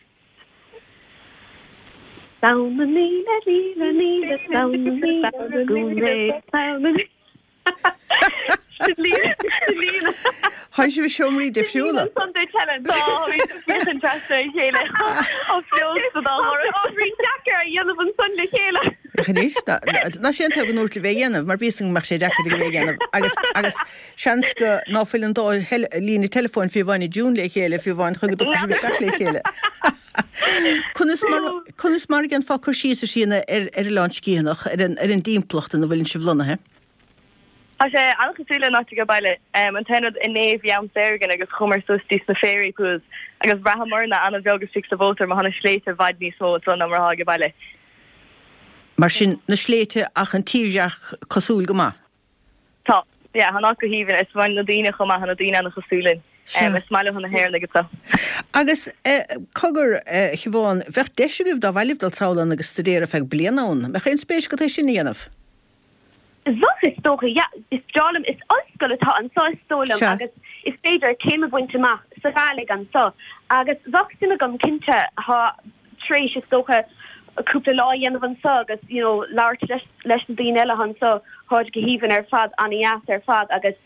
Samhna míle, míle, míle, Samhna míle, go mbeidh Samhna míle. Sin líne, sin líne. Tá sibh i seomraí difriúla. Sin líne ansan duit, Helen. Tá, bhí tú féachaint trasna ar a chéile. Tá feabhas sa dá dhoras. Tá ábhairín deacair a dhéanamh ansan le chéile. Ach anois, ná sé an t-am go ndúirt libh é a dhéanamh, mar bhí 'fhios agam go mbeadh sé deacair agaibh é a dhéanamh. Agus, agus seans go ná fuil an dá líne teileafóin fiú amháin i dtiún le chéile, fiú amháin chun go dtiocfaidh sibh isteach le chéile. Conas mar, conas mar a dhéanfá cur síos, a Thríona, ar, ar Oileán Sciathanach, ar an, ar an dtimpeallacht ina bhfuileann sibh lonnaithe? Tá sé an-chosúil le an áit age baile. An t-aon rud, inné bhí am saor againn agus chuamar suas dtí sna Fairy Pools agus bhraitheamarna an-bheag istigh sa mhótar mar tá na sléibhte i bhfad níos mó ansan ná mar atá age baile. Mar sin, na sléibhte ach an tírdhreach cosúil go maith. Tá, yeah, tá an áit go haoibhinn. Is maith na daoine chomh maith, tá na daoine an-chosúil linn. Sea. Is maith leo na hÉireannaigh anseo. Agus, cogar, a Shiobhán, bheadh deis agaibh dá mhaith libh dul sall ann agus staidéar ar feadh bliana ann. Mbeadh aon spéis agat é sin a dhéanamh? Bheadh, is dócha, yeah. Is breá liom, is ollscoil atá anseo is dóigh liom Sea. agus is féidir céim a bhaint amach sa Ghàidhlig anseo agus bheadh suim agam cinnte, thá, tar éis is dócha cúpla lá a dhéanamh anseo agus you know labhairt leis leis na daoine eile anseo, tháid go haoibhinn ar fad, an-dheas ar fad agus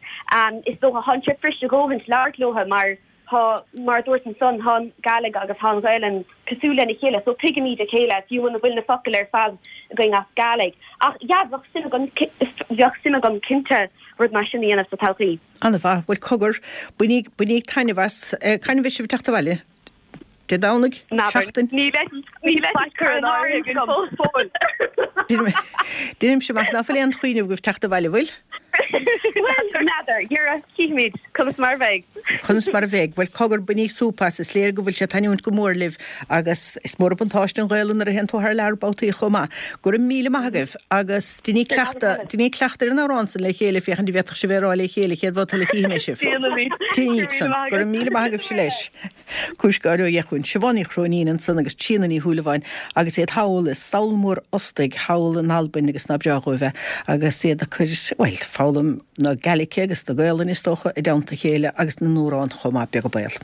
is dócha thánn sé fuirist a dhóthaint labhairt leotha mar Tá, mar a dúirt ansan, tá an Gàidhlig agus tá an Ghaelainn cosúil lena chéile so tuigimid a chéile fiú muna bhfuil na focail ar fad againn as Gàidhlig. Ach yeah, bheadh suim agam, bheadh suim agam cinnte rud mar sin a dhéanamh sa todhchaí. An-mhaith. Bhuel, cogar, bainíg, bainíg taitneamh as. Cathain a bheidh sibh ag teacht abhaile? Dé Domhnaigh? N'fheadar. Seachtain? Níl níl faic curtha in áirithe againn fós. Fóill. Deinimse amach ná fuil aon chuimhneamh agaibh teacht abhaile, bhfuil? Bhuel, n'fheadar. Dhera, chífimid conas mar a bheidh. Conas mar a bheidh. Bhuel, cogar, bainíg súp as. Is léir go bhfuil sé ag taitniúint go mór libh agus is mór an buntáiste an Ghaelainn nuair a théann tú thar lear babhtaí chomh maith. Go raibh míle maith agaibh agus deiníg cleachtadh, deiníg cleachtadh ar an amhrán san le chéile féachaint an bhféadfadh sibh é a rá le chéile chéad bhabhta eile a chífidh mé sibh. Déanfaimid. Deiníg san. Go raibh míle maith agaibhse leis. Cúis gáire ó dheachuain. Siobhán Ní Chróinín ansan agus Tríona Ní Shúilleabháin agus iad thall i Sabhal Mór Ostaig thall in Albain agus ná breá dhóibh é agus iad ag cur, bhuel, foghlaim na Gaeilge agus na Gaolainne is dócha i dteannta a chéile agus na n-amhrán chomh maith, beag an baol.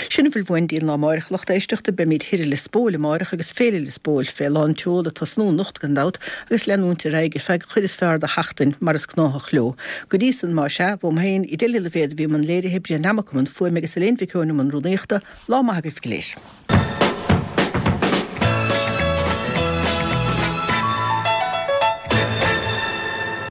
Sin a bhfuil uainn dtí'n lá amáireach, a lucht éisteachta, beimíd thoir i Lios Póil amáireach agus Féile Lios Póil fé lán tseol ag tosnú anocht gan dabht agus leanúint ar aghaidh ar feadh an chuid is fearr de sheachtain mar is gnáthach leo. Go dtí san, más ea, uaim féin, Edel Uí Loibhéad a bhí i mbun léirithe, Brian Nammock i mbun fuaime agus Elaine Mhic Eoin i mbun rúnaíochta, lá maith agaibh go léir.